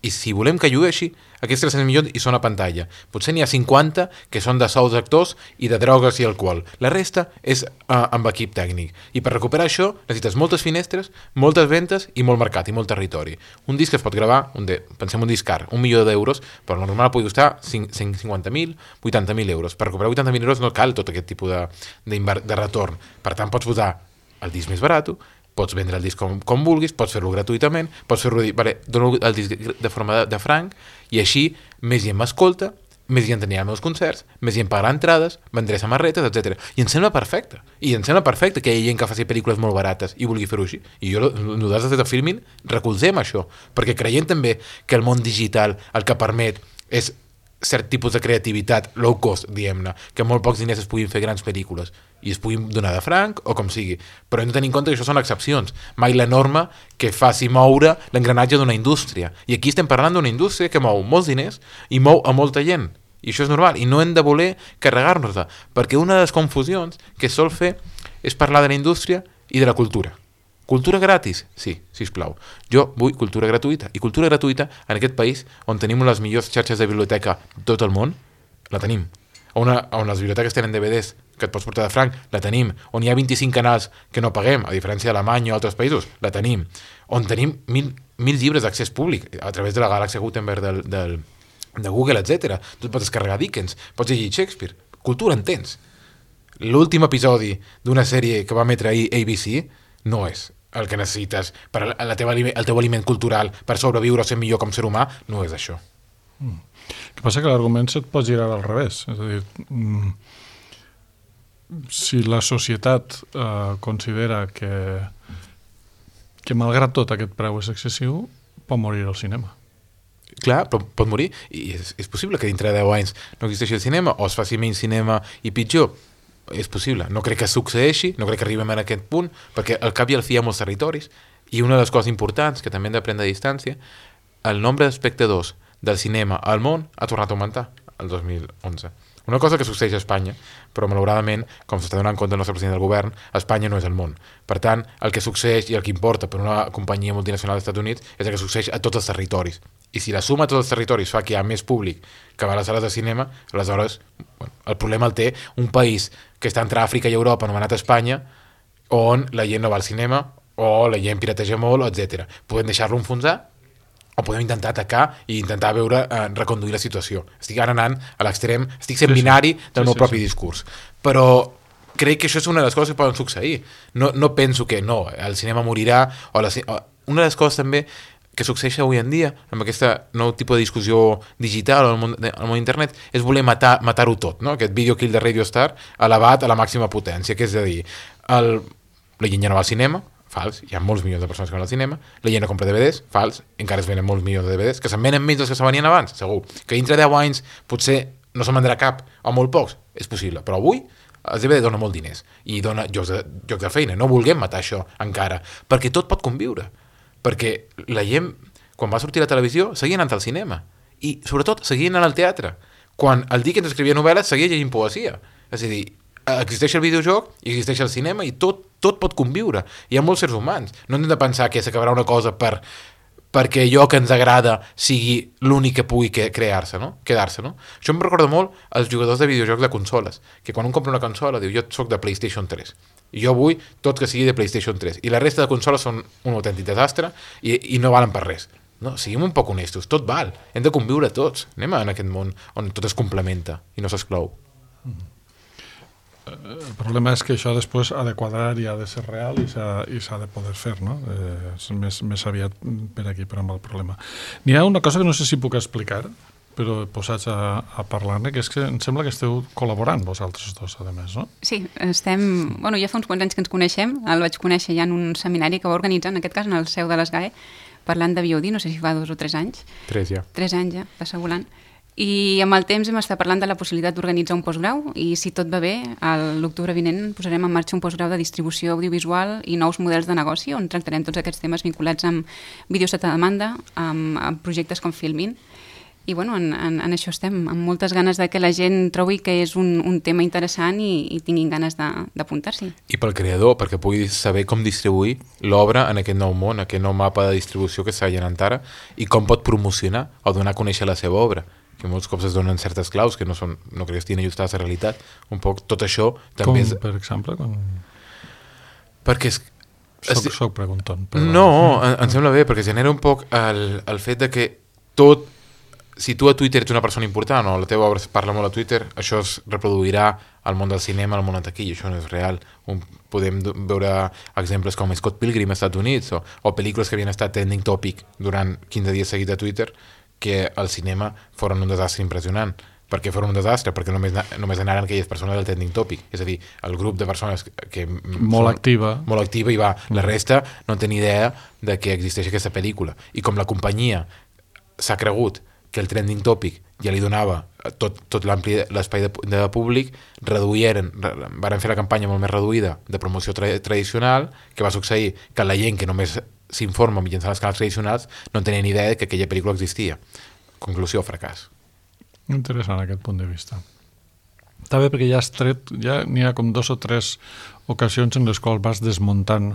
I si volem que llueixi, aquests 300 milions hi són a pantalla. Potser n'hi ha 50 que són de sous d'actors i de drogues i alcohol. La resta és amb equip tècnic. I per recuperar això necessites moltes finestres, moltes ventes i molt mercat i molt territori. Un disc es pot gravar, pensem un disc car, 1 milió d'euros, però normal pugui costar 150.000, 80.000 euros. Per recuperar 80.000 euros no cal tot aquest tipus de retorn. Per tant, pots posar el disc més barat, pots vendre el disc com vulguis, pots fer-lo gratuïtament, pots fer-lo dir, vale, dono el disc de forma de franc, i així més gent m'escolta, més gent anirà als meus concerts, més gent pagarà entrades, vendré samarretes, etc. I em sembla perfecte. I em sembla perfecte que hi hagi gent que faci pel·lícules molt barates i vulgui fer-ho així. I nosaltres des de Filmin recolzem això, perquè creiem també que el món digital el que permet és cert tipus de creativitat low cost, diguem-ne, que amb molt pocs diners es puguin fer grans pel·lícules i es puguin donar de franc o com sigui, però hem de tenir en compte que això són excepcions, mai la norma que faci moure l'engranatge d'una indústria, i aquí estem parlant d'una indústria que mou molts diners i mou a molta gent, i això és normal, i no hem de voler carregar-nos-la, perquè una de les confusions que es sol fer és parlar de la indústria i de la cultura. Cultura gratis? Sí, sisplau. Jo vull cultura gratuïta. I cultura gratuïta en aquest país, on tenim les millors xarxes de biblioteca de tot el món, la tenim. On les biblioteques tenen DVDs que et pots portar de franc, la tenim. On hi ha 25 canals que no paguem, a diferència d'Alemanya o altres països, la tenim. On tenim 1.000 llibres d'accés públic a través de la Galàxia Gutenberg de Google, etc. Tu pots descarregar Dickens, pots llegir Shakespeare. Cultura en tens. L'últim episodi d'una sèrie que va emetre ahir ABC no és el que necessites per el teu aliment cultural per sobreviure o ser millor com ser humà, no és això. El que passa que l'argument se't pot girar al revés. És a dir, si la societat considera que malgrat tot aquest preu és excessiu, pot morir el cinema. Clar, però pot morir, i és possible que dintre de 10 anys no existeixi el cinema o es faci menys cinema i pitjor. És possible, no crec que succeeixi, no crec que arribem a aquest punt, perquè al cap i al fi hi ha molts territoris, i una de les coses importants que també hem d'aprendre a distància, el nombre d'espectadors del cinema al món ha tornat a augmentar el 2011. Una cosa que succeeix a Espanya, però malauradament, com s'està donant compte el nostre president del govern, Espanya no és el món. Per tant, el que succeeix i el que importa per una companyia multinacional dels Estats Units és el que succeeix a tots els territoris. I si la suma a tots els territoris fa que hi ha més públic que va a les sales de cinema, aleshores el problema el té un país que està entre Àfrica i Europa, anomenat Espanya, on la gent no va al cinema, o la gent pirateja molt, etc. Podem deixar-lo enfonsar, o podem intentar atacar i intentar reconduir la situació. Estic ara anant a l'extrem, estic sent binari del meu propi discurs. Però crec que això és una de les coses que poden succeir. No penso que no, el cinema morirà, una de les coses també que succeeix avui en dia, amb aquesta nou tipus de discussió digital al món internet, és voler matar-ho tot, no? Aquest video kill de Radio Star elevat a la màxima potència, que és a dir, la gent ja no va al cinema, fals, hi ha molts milions de persones que van al cinema, la gent no compra DVDs, fals, encara es venen molts milions de DVDs, que se'n venen menys dels que se venien abans, segur, que dintre 10 anys potser no se'n vendrà cap, o molt pocs, és possible, però avui els DVD dona molt diners, i dona llocs de feina, no vulguem matar això encara, perquè tot pot conviure, perquè la gent, quan va sortir a la televisió, seguia anant al cinema, i sobretot seguia anant al teatre, quan el Dickens escrivia novel·les seguia llegint poesia, és a dir, existeix el videojoc i existeix el cinema i tot pot conviure. Hi ha molts sers humans. No hem de pensar que s'acabarà una cosa perquè allò que ens agrada sigui l'únic que pugui quedar-se, no? Això em recorda molt als jugadors de videojocs de consoles, que quan un compra una consola diu jo soc de PlayStation 3 i jo vull tot que sigui de PlayStation 3 i la resta de consoles són un autèntic desastre i no valen per res. No, siguem un poc honestos, tot val, hem de conviure tots, anem en aquest món on tot es complementa i no s'exclou. El problema és que això després ha de quadrar i ha de ser real i s'ha de poder fer, no? És més aviat per aquí, per amb el problema. N'hi ha una cosa que no sé si puc explicar, però posats a parlar-ne, que és que em sembla que esteu col·laborant vosaltres dos, a més, no? Sí, ja fa uns quants anys que ens coneixem, el vaig conèixer ja en un seminari que va organitzar, en aquest cas en el seu de l'ESGAE, parlant de VOD, no sé si fa 2 o 3 anys. 3 ja. 3 anys ja, passa volant. I amb el temps hem estat parlant de la possibilitat d'organitzar un postgrau i si tot va bé, l'octubre vinent posarem en marxa un postgrau de distribució audiovisual i nous models de negoci on tractarem tots aquests temes vinculats amb vídeos sota demanda, amb projectes com Filmin. I bueno, en això estem, amb moltes ganes de que la gent trobi que és un tema interessant i tinguin ganes d'apuntar-s'hi. I pel creador, perquè pugui saber com distribuir l'obra en aquest nou món, aquest nou mapa de distribució que s'ha llenat ara, i com pot promocionar o donar a conèixer la seva obra, que molts cops es donen certes claus que no crec que estiguin ajustades a la realitat. Un poc tot això també com, per exemple? Perquè Soc preguntant. No, em sembla bé, perquè genera un poc el fet de que tot, si tu a Twitter ets una persona important o la teva obra parla molt a Twitter, això es reproduirà al món del cinema, al món de taquilla, això no és real. Podem veure exemples com Scott Pilgrim als Estats Units o pel·lícules que havien estat trending topic durant 15 dies seguits a Twitter que al cinema foren un desastre impressionant. Per què foren un desastre? Perquè només anaren aquelles persones del trending topic, és a dir, el grup de persones que molt activa i va, la resta no tenia idea de que existeix aquesta pel·lícula, i com la companyia s'ha cregut que el trending topic ja li donava tot l'ampli l'espai de públic, varen fer la campanya molt més reduïda de promoció tradicional, que va succeir que la gent que només s'informa mitjançant els canals tradicionals no tenien idea de que aquella pel·lícula existia. Conclusió, fracàs. Interessant aquest punt de vista. Està bé perquè ja n'hi ha com 2 o 3 ocasions en les quals vas desmuntant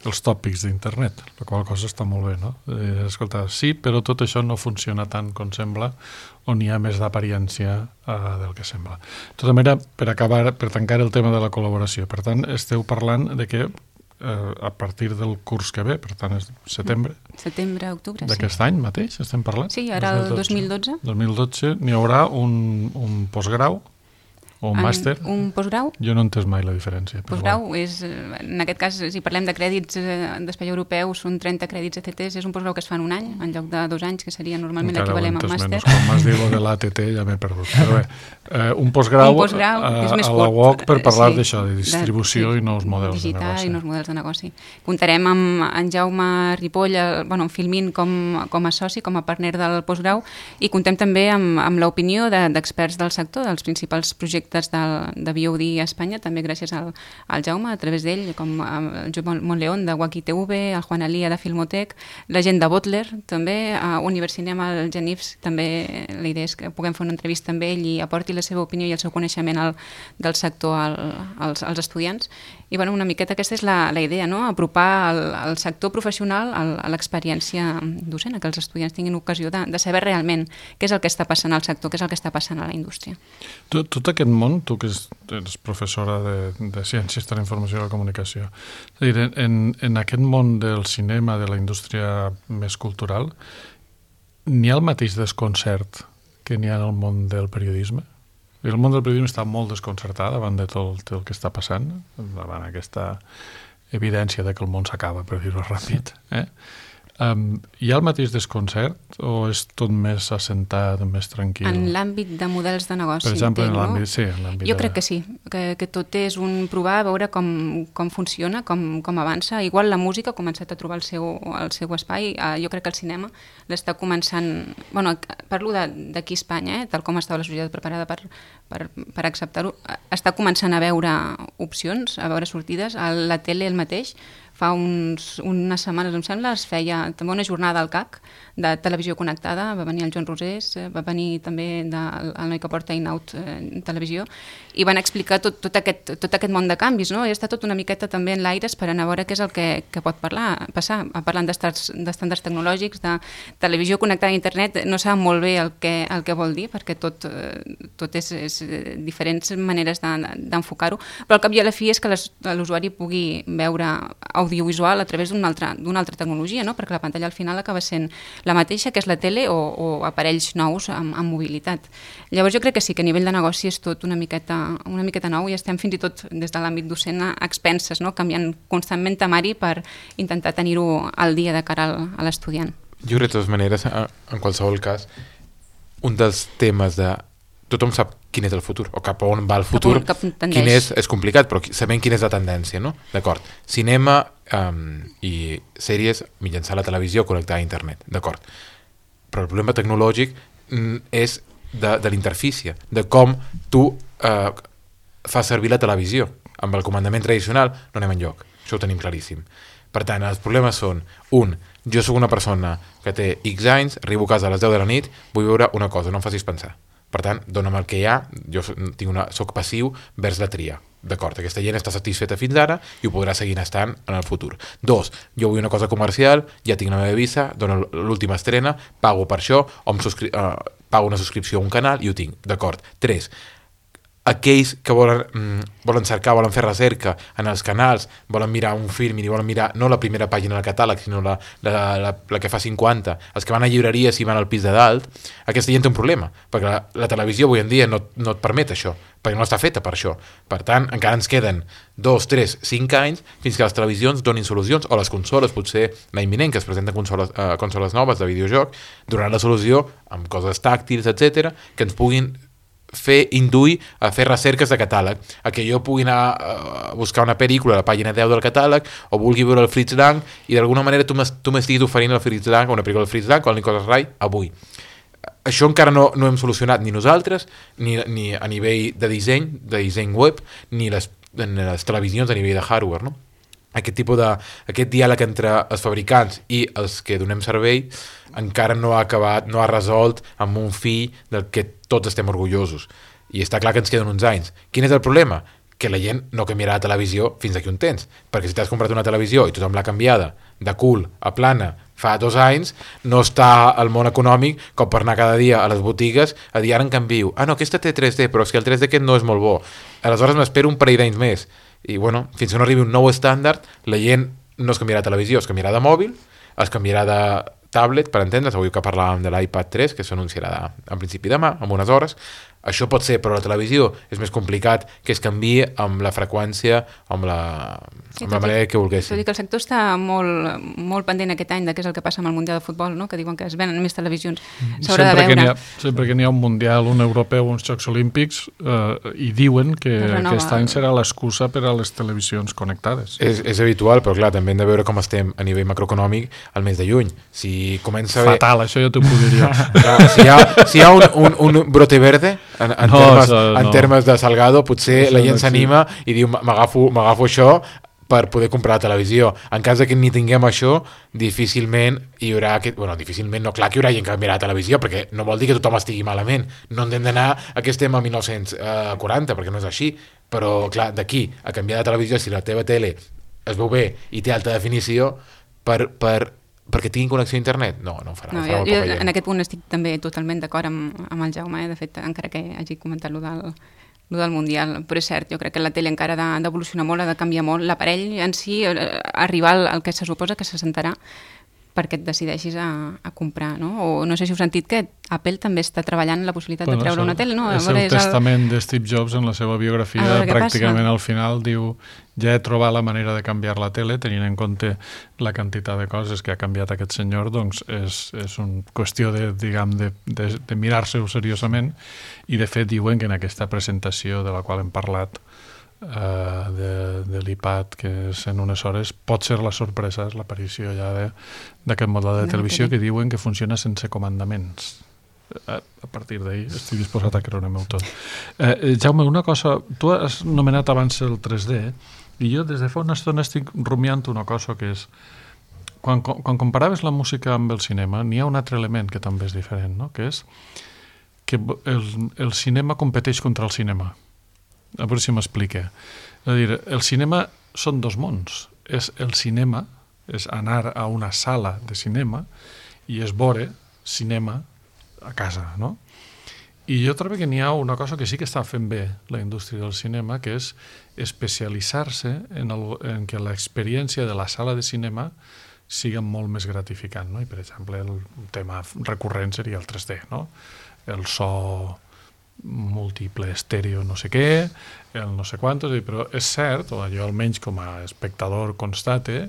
els tòpics d'internet, la qual cosa està molt bé, no? Escolta, sí, però tot això no funciona tant com sembla, on hi ha més d'apariència del que sembla. De tota manera, per tancar el tema de la col·laboració, per tant, esteu parlant de que a partir del curs que ve, per tant és setembre, octubre, d'aquest any mateix estem parlant? Sí, ara el 2012. 2012 n'hi haurà un postgrau o un màster? Un postgrau? Jo no he entès mai la diferència. Postgrau és, en aquest cas, si parlem de crèdits d'espai europeu, són 30 crèdits ECTS, és un postgrau que es fa en un any, en lloc de 2 anys, que seria normalment l'equivalent a un màster. Quan m'has dit lo de l'ATT ja m'he perdut. Però bé, un postgrau a la UOC per parlar d'això, de distribució i nous models de negoci. Digital i nous models de negoci. Comptarem amb en Jaume Ripoll, en Filmin com a soci, com a partner del postgrau, i contem també amb l'opinió d'experts del sector, dels principals projectes de VOD a Espanya, també gràcies al Jaume, a través d'ell, com el Joan Montleón de Wacky TV, el Juan Alia de Filmotec, la gent de Butler, també, a Universinem, al Genifs, també la idea és que puguem fer una entrevista amb ell i aporti la seva opinió i el seu coneixement del sector als estudiants. I bueno, una miqueta aquesta és la idea, no? Apropar el sector professional a l'experiència docent, que els estudiants tinguin ocasió de saber realment què és el que està passant al sector, què és el que està passant a la indústria. Tot aquest món, tu que ets professora de Ciències de la Informació i la Comunicació, és a dir, en aquest món del cinema, de la indústria més cultural, n'hi ha el mateix desconcert que n'hi ha en el món del periodisme? El món del periodisme està molt desconcertat davant de tot el que està passant, davant aquesta evidència de que el món s'acaba, per dir-ho ràpid. Hi ha el mateix desconcert o és tot més assentat, més tranquil? En l'àmbit de models de negoci, per exemple, entenc, en l'àmbit, sí, en l'àmbit jo crec que sí, que tot és un provar, a veure com funciona, com avança. Igual la música ha començat a trobar el seu espai. Jo crec que el cinema l'està començant... Bueno, parlo d'aquí a Espanya, tal com estava la societat preparada per acceptar-ho, està començant a veure opcions, a veure sortides. La tele el mateix. Fa unes setmanes, em sembla, es feia també una jornada al CAC de televisió connectada, va venir el Joan Rosés, va venir també el noi que porta In-Out Televisió, i van explicar tot aquest món de canvis, no? I està tot una miqueta també en l'aire esperant a veure què és el que pot passar. Parlant d'estàndards tecnològics, de televisió connectada a internet, no sap molt bé el que vol dir, perquè tot és diferents maneres d'enfocar-ho, però al cap i a la fi és que l'usuari pugui veure audiovisual a través d'una altra tecnologia, no? Perquè la pantalla al final acaba sent la mateixa que és la tele o aparells nous amb mobilitat. Llavors jo crec que sí, que a nivell de negoci és tot una miqueta nou i estem fins i tot des de l'àmbit docent a expenses, no? Canviant constantment temari per intentar tenir-ho al dia de cara a l'estudiant. Jo crec de totes maneres, en qualsevol cas, un dels temes de tothom sap quin és el futur, o cap a on va el futur, quin és complicat, però sabem quina és la tendència, no? D'acord, cinema i sèries mitjançant la televisió connectada a internet, d'acord. Però el problema tecnològic és de l'interfície, de com tu fas servir la televisió. Amb el comandament tradicional no anem enlloc. Això ho tenim claríssim. Per tant, els problemes són, jo sóc una persona que té X anys, arribo a casa a les 10 de la nit, vull veure una cosa, no em facis pensar. Per tant, dona'm el que hi ha, jo soc passiu vers la tria. D'acord, aquesta gent està satisfeta fins ara i ho podrà seguir estant en el futur. 2, jo vull una cosa comercial, ja tinc la meva visa, dono l'última estrena, pago per això, o pago una subscripció a un canal i ho tinc. D'acord. 3, aquells que volen cercar, volen fer recerca en els canals, volen mirar un film i volen mirar no la primera pàgina del catàleg, sinó la que fa 50, els que van a llibreries i van al pis de dalt, aquesta gent té un problema, perquè la televisió avui en dia no et permet això, perquè no està feta per això. Per tant, encara ens queden 2, 3, 5 anys fins que les televisions donin solucions, o les consoles, potser l'any vinent, que es presenten consoles noves de videojoc, donaran la solució amb coses tàctils, etc, que ens puguin induir a fer recerques de catàleg, a que jo pugui anar a buscar una pel·lícula a la pàgina 10 del catàleg o vulgui veure el Fritz Lang i d'alguna manera tu m'estiguis oferint el Fritz Lang o una pel·lícula del Fritz Lang o el Nicolas Ray avui. Això encara no hem solucionat ni nosaltres, ni a nivell de disseny web, ni les televisions a nivell de hardware, no? Aquest diàleg entre els fabricants i els que donem servei encara no ha acabat, no ha resolt amb un fi del que tots estem orgullosos. I està clar que ens queden uns anys. Quin és el problema? Que la gent no canviarà la televisió fins d'aquí un temps. Perquè si t'has comprat una televisió i tothom l'ha canviada de cool a plana fa 2 anys, no està al món econòmic com per anar cada dia a les botigues a dir ara en canvio. No, aquesta té 3D, però és que el 3D aquest no és molt bo. Aleshores m'espero un parell d'anys més. I bueno, fins que no arribi un nou estàndard, la gent no es canviarà de televisió, es canviarà de mòbil, es canviarà de tablet, per entendre's, avui que parlàvem de l'iPad 3, que s'anunciarà en principi demà, en unes hores. Això pot ser, però la televisió és més complicat que es canviï amb la freqüència, amb la manera que volguessin. Tot i que el sector està molt pendent aquest any de què és el que passa amb el Mundial de Futbol, no? Que diuen que es venen més televisions. S'haurà de veure. Sempre que n'hi ha un Mundial, un Europeu, uns Jocs Olímpics, i diuen que aquest any serà l'excusa per a les televisions connectades. És habitual, però clar, també hem de veure com estem a nivell macroeconòmic al mes de juny. Si comença fatal, això jo t'ho podria. Si hi ha un brote verde en termes de Salgado, potser la gent s'anima i diu m'agafo això per poder comprar la televisió. En cas que ni tinguem això, difícilment hi haurà clar que hi haurà gent que mirarà la televisió, perquè no vol dir que tothom estigui malament. No hem d'anar a que estem a 1940, perquè no és així. Però, clar, d'aquí a canviar de televisió, si la teva tele es veu bé i té alta definició, perquè tinguin connexió a internet? No ho farà. No, jo en aquest punt estic també totalment d'acord amb el Jaume, de fet, encara que hagi comentat lo del Mundial, però és cert, jo crec que la tele encara ha d'evolucionar molt, ha de canviar molt, l'aparell en si, arribar al que se suposa que se sentarà perquè et decideixis a comprar, no? O no sé si heu sentit que Apple també està treballant la possibilitat de treure una tele, no? És el testament de Steve Jobs en la seva biografia, pràcticament al final diu ja he trobat la manera de canviar la tele, tenint en compte la quantitat de coses que ha canviat aquest senyor, doncs és una qüestió de mirar-se-ho seriosament, i de fet diuen que en aquesta presentació de la qual hem parlat de l'iPad, que és en unes hores, pot ser la sorpresa, és l'aparició ja d'aquest model de televisió que diuen que funciona sense comandaments. A partir d'ahir estic disposat a creure-m'ho tot. Jaume, una cosa, tu has nomenat abans el 3D i jo des de fa una estona estic rumiant una cosa que és quan comparaves la música amb el cinema n'hi ha un altre element que també és diferent, no? Que és que el cinema competeix contra el cinema. A veure si m'explique. És a dir, el cinema són 2 mons. És el cinema, és anar a una sala de cinema i és veure cinema a casa, no? I jo trobo que n'hi ha una cosa que sí que està fent bé la indústria del cinema, que és especialitzar-se en que l'experiència de la sala de cinema sigui molt més gratificant, no? I, per exemple, el tema recurrent seria el 3D, no? El so múltiple, estèreo, no sé què, el no sé quantos, però és cert, o jo almenys com a espectador constate,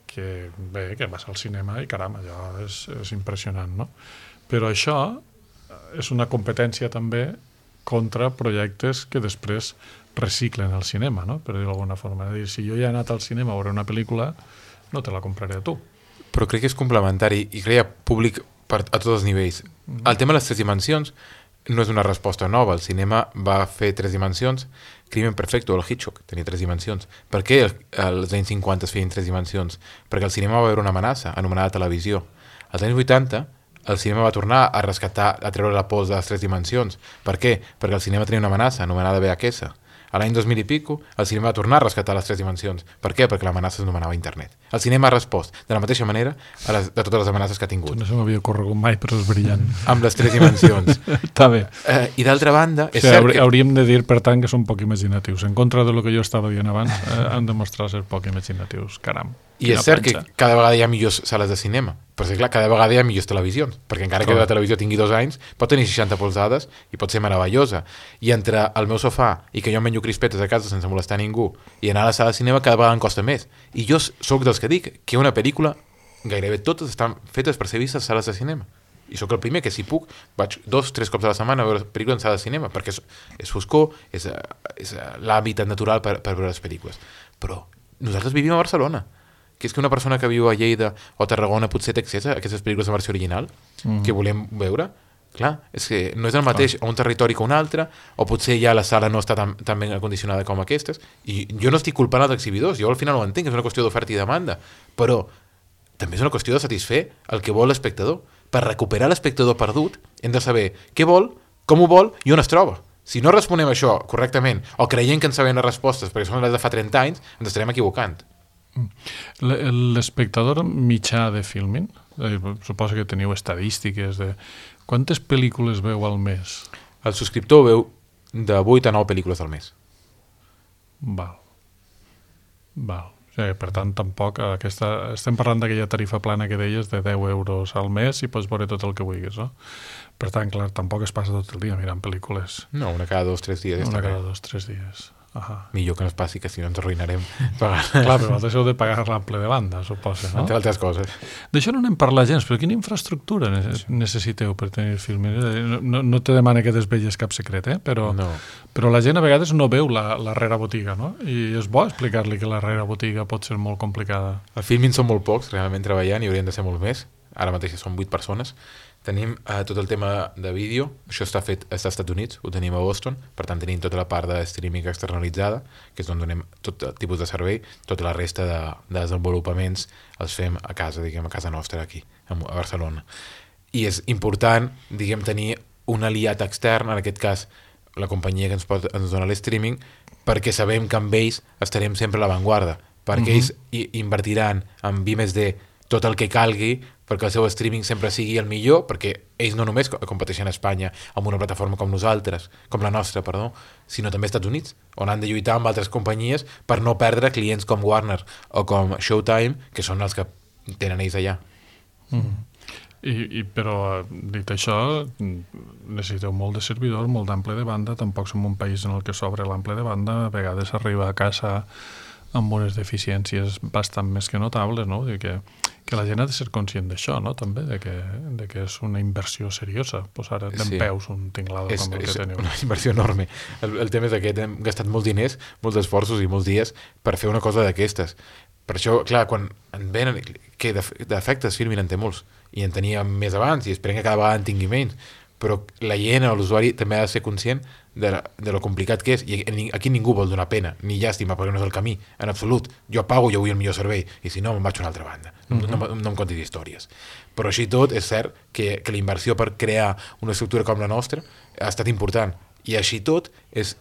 que bé, que vas al cinema i caram, allò és impressionant, no? Però això és una competència també contra projectes que després reciclen el cinema, no? Per dir-ho d'alguna forma. És a dir, si jo ja he anat al cinema a veure una pel·lícula, no te la compraré a tu. Però crec que és complementari i crea públic a tots els nivells. El tema de les 3 dimensions no és una resposta nova. El cinema va fer 3 dimensions. Crimen Perfecto, el Hitchcock, tenia 3 dimensions. Per què als anys 50 es feien 3 dimensions? Perquè el cinema va veure una amenaça, anomenada televisió. Als anys 80, el cinema va tornar a rescatar, a treure la pols de les 3 dimensions. Per què? Perquè el cinema tenia una amenaça, anomenada VHS. A l'any 2000 i pico, el cinema va tornar a rescatar les 3 dimensions. Per què? Perquè l'amenaça s'anomenava internet. El cinema ha respost de la mateixa manera de totes les amenaces que ha tingut. No se m'havia corregut mai, però és brillant. Amb les 3 dimensions. Està bé. I d'altra banda, és cert que... Hauríem de dir, per tant, que són poc imaginatius. En contra de lo que jo estava dient abans, han demostrat ser poc imaginatius. Caram. I és cert que cada vegada hi ha millors sales de cinema, però és clar, cada vegada hi ha millors televisions, perquè encara que la televisió tingui 2 anys, pot tenir 60 polzades i pot ser meravellosa. I entre el meu sofà i que jo menjo crispetes a casa sense molestar ningú i anar a la sala de cinema cada vegada em costa més. I jo sóc dels que dic que una pel·lícula, gairebé totes estan fetes per ser vistes a sales de cinema. I sóc el primer que, si puc, vaig 2-3 cops a la setmana a veure pel·lícules en sala de cinema, perquè és foscor, és l'hàbitat natural per veure les pel·lícules. Però nosaltres vivim a Barcelona, que és que una persona que viu a Lleida o a Tarragona potser té accés a aquestes pel·lícules de versió original que volem veure. Clar, és que no és el mateix a un territori que un altre, o potser ja la sala no està tan ben acondicionada com aquestes, i jo no estic culpant els exhibidors, jo al final ho entenc, és una qüestió d'oferta i demanda, però també és una qüestió de satisfer el que vol l'espectador. Per recuperar l'espectador perdut hem de saber què vol, com ho vol i on es troba. Si no responem a això correctament, o creient que en sabem les respostes perquè són les de fa 30 anys, ens estarem equivocant. L'espectador mitjà de Filmin, suposo que teniu estadístiques de quantes pel·lícules veu al mes? El subscriptor veu de 8 a 9 pel·lícules al mes. Val. O sigui, per tant, tampoc estem parlant d'aquella tarifa plana que deies de 10 euros al mes i pots veure tot el que vulguis, no? Per tant, clar, tampoc es passa tot el dia mirant pel·lícules. No, una cada 2-3 dies. Una cada 2-3 dies. Millor que no es passi, que si no ens arruïnarem. Clar, però vosaltres heu de pagar l'ample de banda, suposa, no? Entre altres coses. D'això no n'hem parlat gens, però quina infraestructura necessiteu per tenir Filmin? No te demana que desvetlles cap secret, però la gent a vegades no veu la rere botiga, no? I és bo explicar-li que la rere botiga pot ser molt complicada. A Filmin són molt pocs, realment treballant, i haurien de ser molt més. Ara mateix són 8 persones. Tenim tot el tema de vídeo, això està fet als Estats Units, ho tenim a Boston, per tant tenim tota la part de streaming externalitzada, que és on donem tot tipus de servei, tota la resta de desenvolupaments els fem a casa, diguem, a casa nostra aquí, a Barcelona. I és important, diguem, tenir un aliat extern, en aquest cas la companyia que ens dona l'streaming, perquè sabem que amb ells estarem sempre a l'avantguarda, perquè ells invertiran en V+D tot el que calgui perquè el seu streaming sempre sigui el millor, perquè ells no només competeixen a Espanya amb una plataforma com nosaltres, com la nostra, sinó també als Estats Units, on han de lluitar amb altres companyies per no perdre clients com Warner o com Showtime, que són els que tenen ells allà. Però, dit això, necessiteu molt de servidors, molt d'ample de banda, tampoc som un país en el que s'obre l'ample de banda, a vegades arriba a casa amb unes deficiències bastant més que notables, no? Que la gent ha de ser conscient d'això, no? També, de que és una inversió seriosa posar dempeus un tinglador com el que teniu. És una inversió enorme. El tema és aquest, hem gastat molts diners, molts esforços i molts dies per fer una cosa d'aquestes. Per això, clar, quan en venen, que d'efectes Filmin en té molts, i en tenia més abans, i esperem que cada vegada en tingui menys, però la gent, l'usuari, també ha de ser conscient de lo complicat que és, i aquí ningú vol donar pena ni llàstima, perquè no és el camí, en absolut. Jo pago, jo vull el millor servei, i si no me'n vaig a una altra banda, no em contis històries. Però així tot és cert que la inversió per crear una estructura com la nostra ha estat important, i així tot és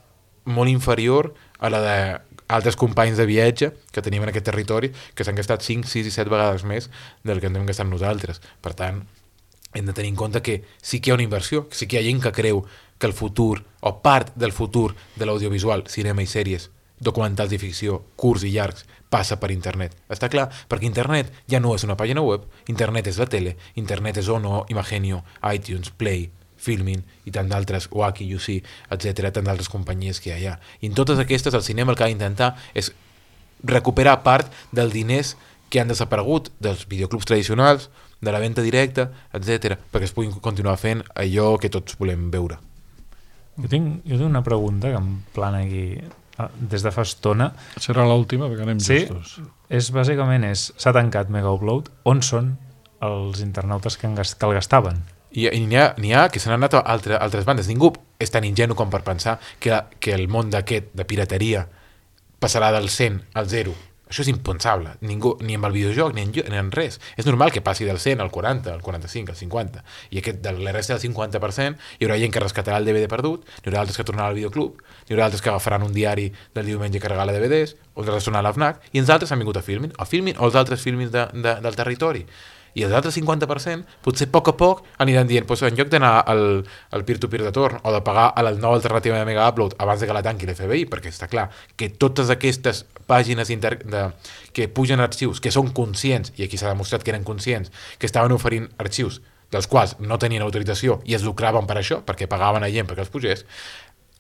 molt inferior a la d'altres companys de viatge que tenim en aquest territori, que s'han gastat 5, 6 i 7 vegades més del que ens hem gastat nosaltres. Per tant, hem de tenir en compte que sí que hi ha una inversió, que sí que hi ha gent que creu que el futur, o part del futur de l'audiovisual, cinema i sèries, documentals i ficció, curts i llargs, passa per internet. Està clar, perquè internet ja no és una pàgina web, internet és la tele, internet és Ono, Imagenio, iTunes, Play, Filmin i tant d'altres, Wacky, UC, etc., tant d'altres companyies que hi ha. I en totes aquestes el cinema el que ha d'intentar és recuperar part dels diners que han desaparegut dels videoclubs tradicionals, de la venda directa, etc., perquè es puguin continuar fent allò que tots volem veure. Jo tinc una pregunta que em plana aquí des de fa estona. Serà l'última, perquè anem justos. Bàsicament s'ha tancat Mega Upload. On són els internautes que el gastaven? I n'hi ha que se n'han anat a altres bandes. Ningú és tan ingenu com per pensar que el món d'aquest, de pirateria, passarà del 100 al 0. Això és impensable. Ningú, ni amb el videojoc, ni en res. És normal que passi del 100 al 40, al 45, al 50. I de la resta del 50% hi haurà gent que rescatarà el DVD perdut, hi haurà altres que tornaran al videoclub, hi haurà altres que agafaran un diari del diumenge i carregaran DVDs, o altres tornaran a l'AFNAC, i els altres han vingut a Filmin, o els altres Filmin del territori. I els altres 50% potser a poc aniran dient en lloc d'anar al peer-to-peer de torn o de pagar a la nova alternativa de Mega Upload abans de que la tanqui l'FBI, perquè està clar que totes aquestes pàgines que pugen arxius, que són conscients, i aquí s'ha demostrat que eren conscients, que estaven oferint arxius dels quals no tenien autorització i es lucraven per això, perquè pagaven a gent perquè els pugés,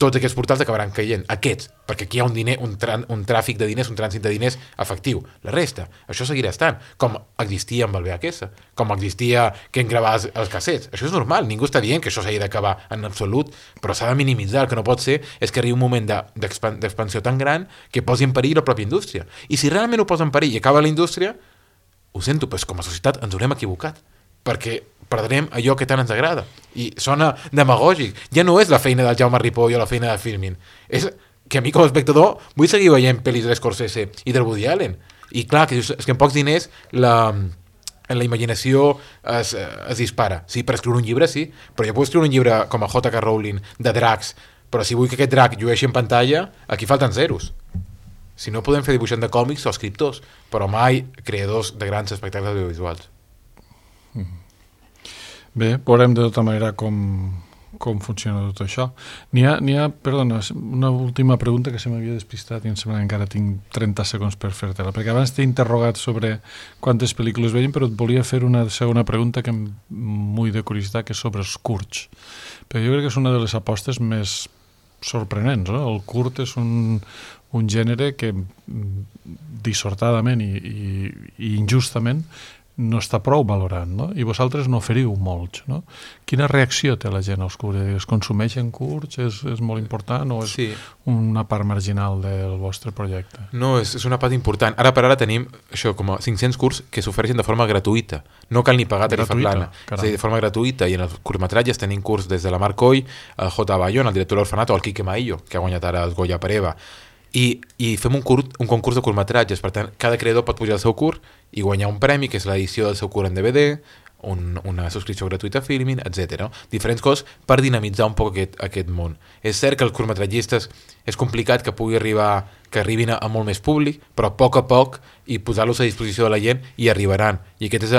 tots aquests portals acabaran caient, aquests, perquè aquí hi ha un tràfic de diners, un trànsit de diners efectiu. La resta, això seguirà estant, com existia amb el VHS, com existia que en gravaves els cassets. Això és normal, ningú està dient que això s'hagi d'acabar en absolut, però s'ha de minimitzar. El que no pot ser és que arribi un moment d'expansió tan gran que posi en perill la pròpia indústria. I si realment ho posa en perill i acaba la indústria, ho sento, però com a societat ens haurem equivocat, perquè perdrem allò que tant ens agrada. I sona demagògic. Ja no és la feina del Jaume Ripoll o la feina de Filmin. És que a mi com a espectador vull seguir veient pel·lis de Scorsese i del Woody Allen. I clar, que és que amb pocs diners la imaginació es dispara. Sí, per escriure un llibre sí, però jo puc escriure un llibre com a J.K. Rowling de dracs, però si vull que aquest drac llueixi en pantalla, aquí falten zeros. Si no podem fer dibuixant de còmics o escriptors, però mai creadors de grans espectacles audiovisuals. Bé, veurem de tota manera com funciona tot això. N'hi ha, perdona, una última pregunta que se m'havia despistat i em sembla que encara tinc 30 segons per fer-te-la, perquè abans t'he interrogat sobre quantes pel·lícules veiem, però et volia fer una segona pregunta que em vull de curiositat, que és sobre els curts. Però jo crec que és una de les apostes més sorprenents, no? El curt és un gènere que dissortadament i injustament no està prou valorant, no? I vosaltres n'oferiu molts, no? Quina reacció té la gent als curts? Es consumeixen curts? És molt important o és una part marginal del vostre projecte? No, és una part important. Ara per ara tenim això, com a 500 curts que s'ofereixen de forma gratuïta. No cal ni pagar tarifa plana. És a dir, de forma gratuïta. I en els curtmetratges tenim curts des de la Marc Coll, el J. Bayón, el director de l'Orfanato, o el Quique Maillo, que ha guanyat ara el Goya per Eva. I fem un concurs de curtmetratges. Per tant, cada creador pot pujar el seu curt i guanyar un premi, que és l'edició del seu curt en DVD, una subscripció gratuïta a Filmin, etc. Diferents coses per dinamitzar un poc aquest món. És cert que els curtmetratgistes és complicat que arribin a molt més públic, però a poc i posar-los a disposició de la gent i arribaran. I aquest és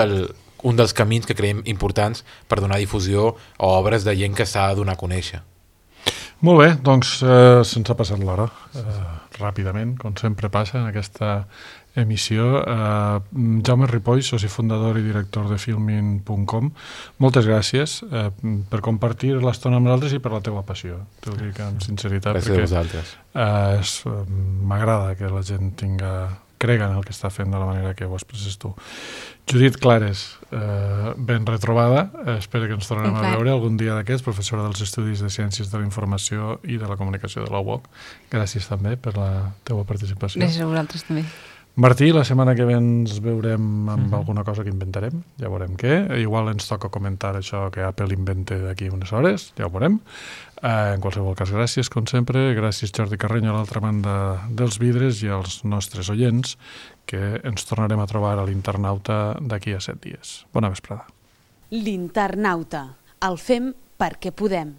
un dels camins que creiem importants per donar difusió a obres de gent que s'ha de donar a conèixer. Molt bé, doncs se'ns ha passat l'hora ràpidament, com sempre passa en aquesta emissió. Jaume Ripoll, soci fundador i director de Filmin.com, moltes gràcies per compartir l'estona amb nosaltres i per la teua passió. T'ho dic amb sinceritat. Gràcies a vosaltres. M'agrada que la gent crega en el que està fent de la manera que ho expresses tu. Judit Clares, ben retrobada. Espero que ens tornem a veure algun dia d'aquests, professora dels Estudis de Ciències de la Informació i de la Comunicació de la UOC. Gràcies també per la teua participació. Gràcies a vosaltres també. Martí, la setmana que ve ens veurem amb alguna cosa que inventarem, ja veurem què. Igual ens toca comentar això que Apple invente d'aquí unes hores, ja ho veurem. En qualsevol cas, gràcies, com sempre. Gràcies, Jordi Carreño, a l'altra banda dels vidres, i als nostres oients, que ens tornarem a trobar a l'Internauta d'aquí a 7 dies. Bona vesprada. L'Internauta. El fem perquè podem.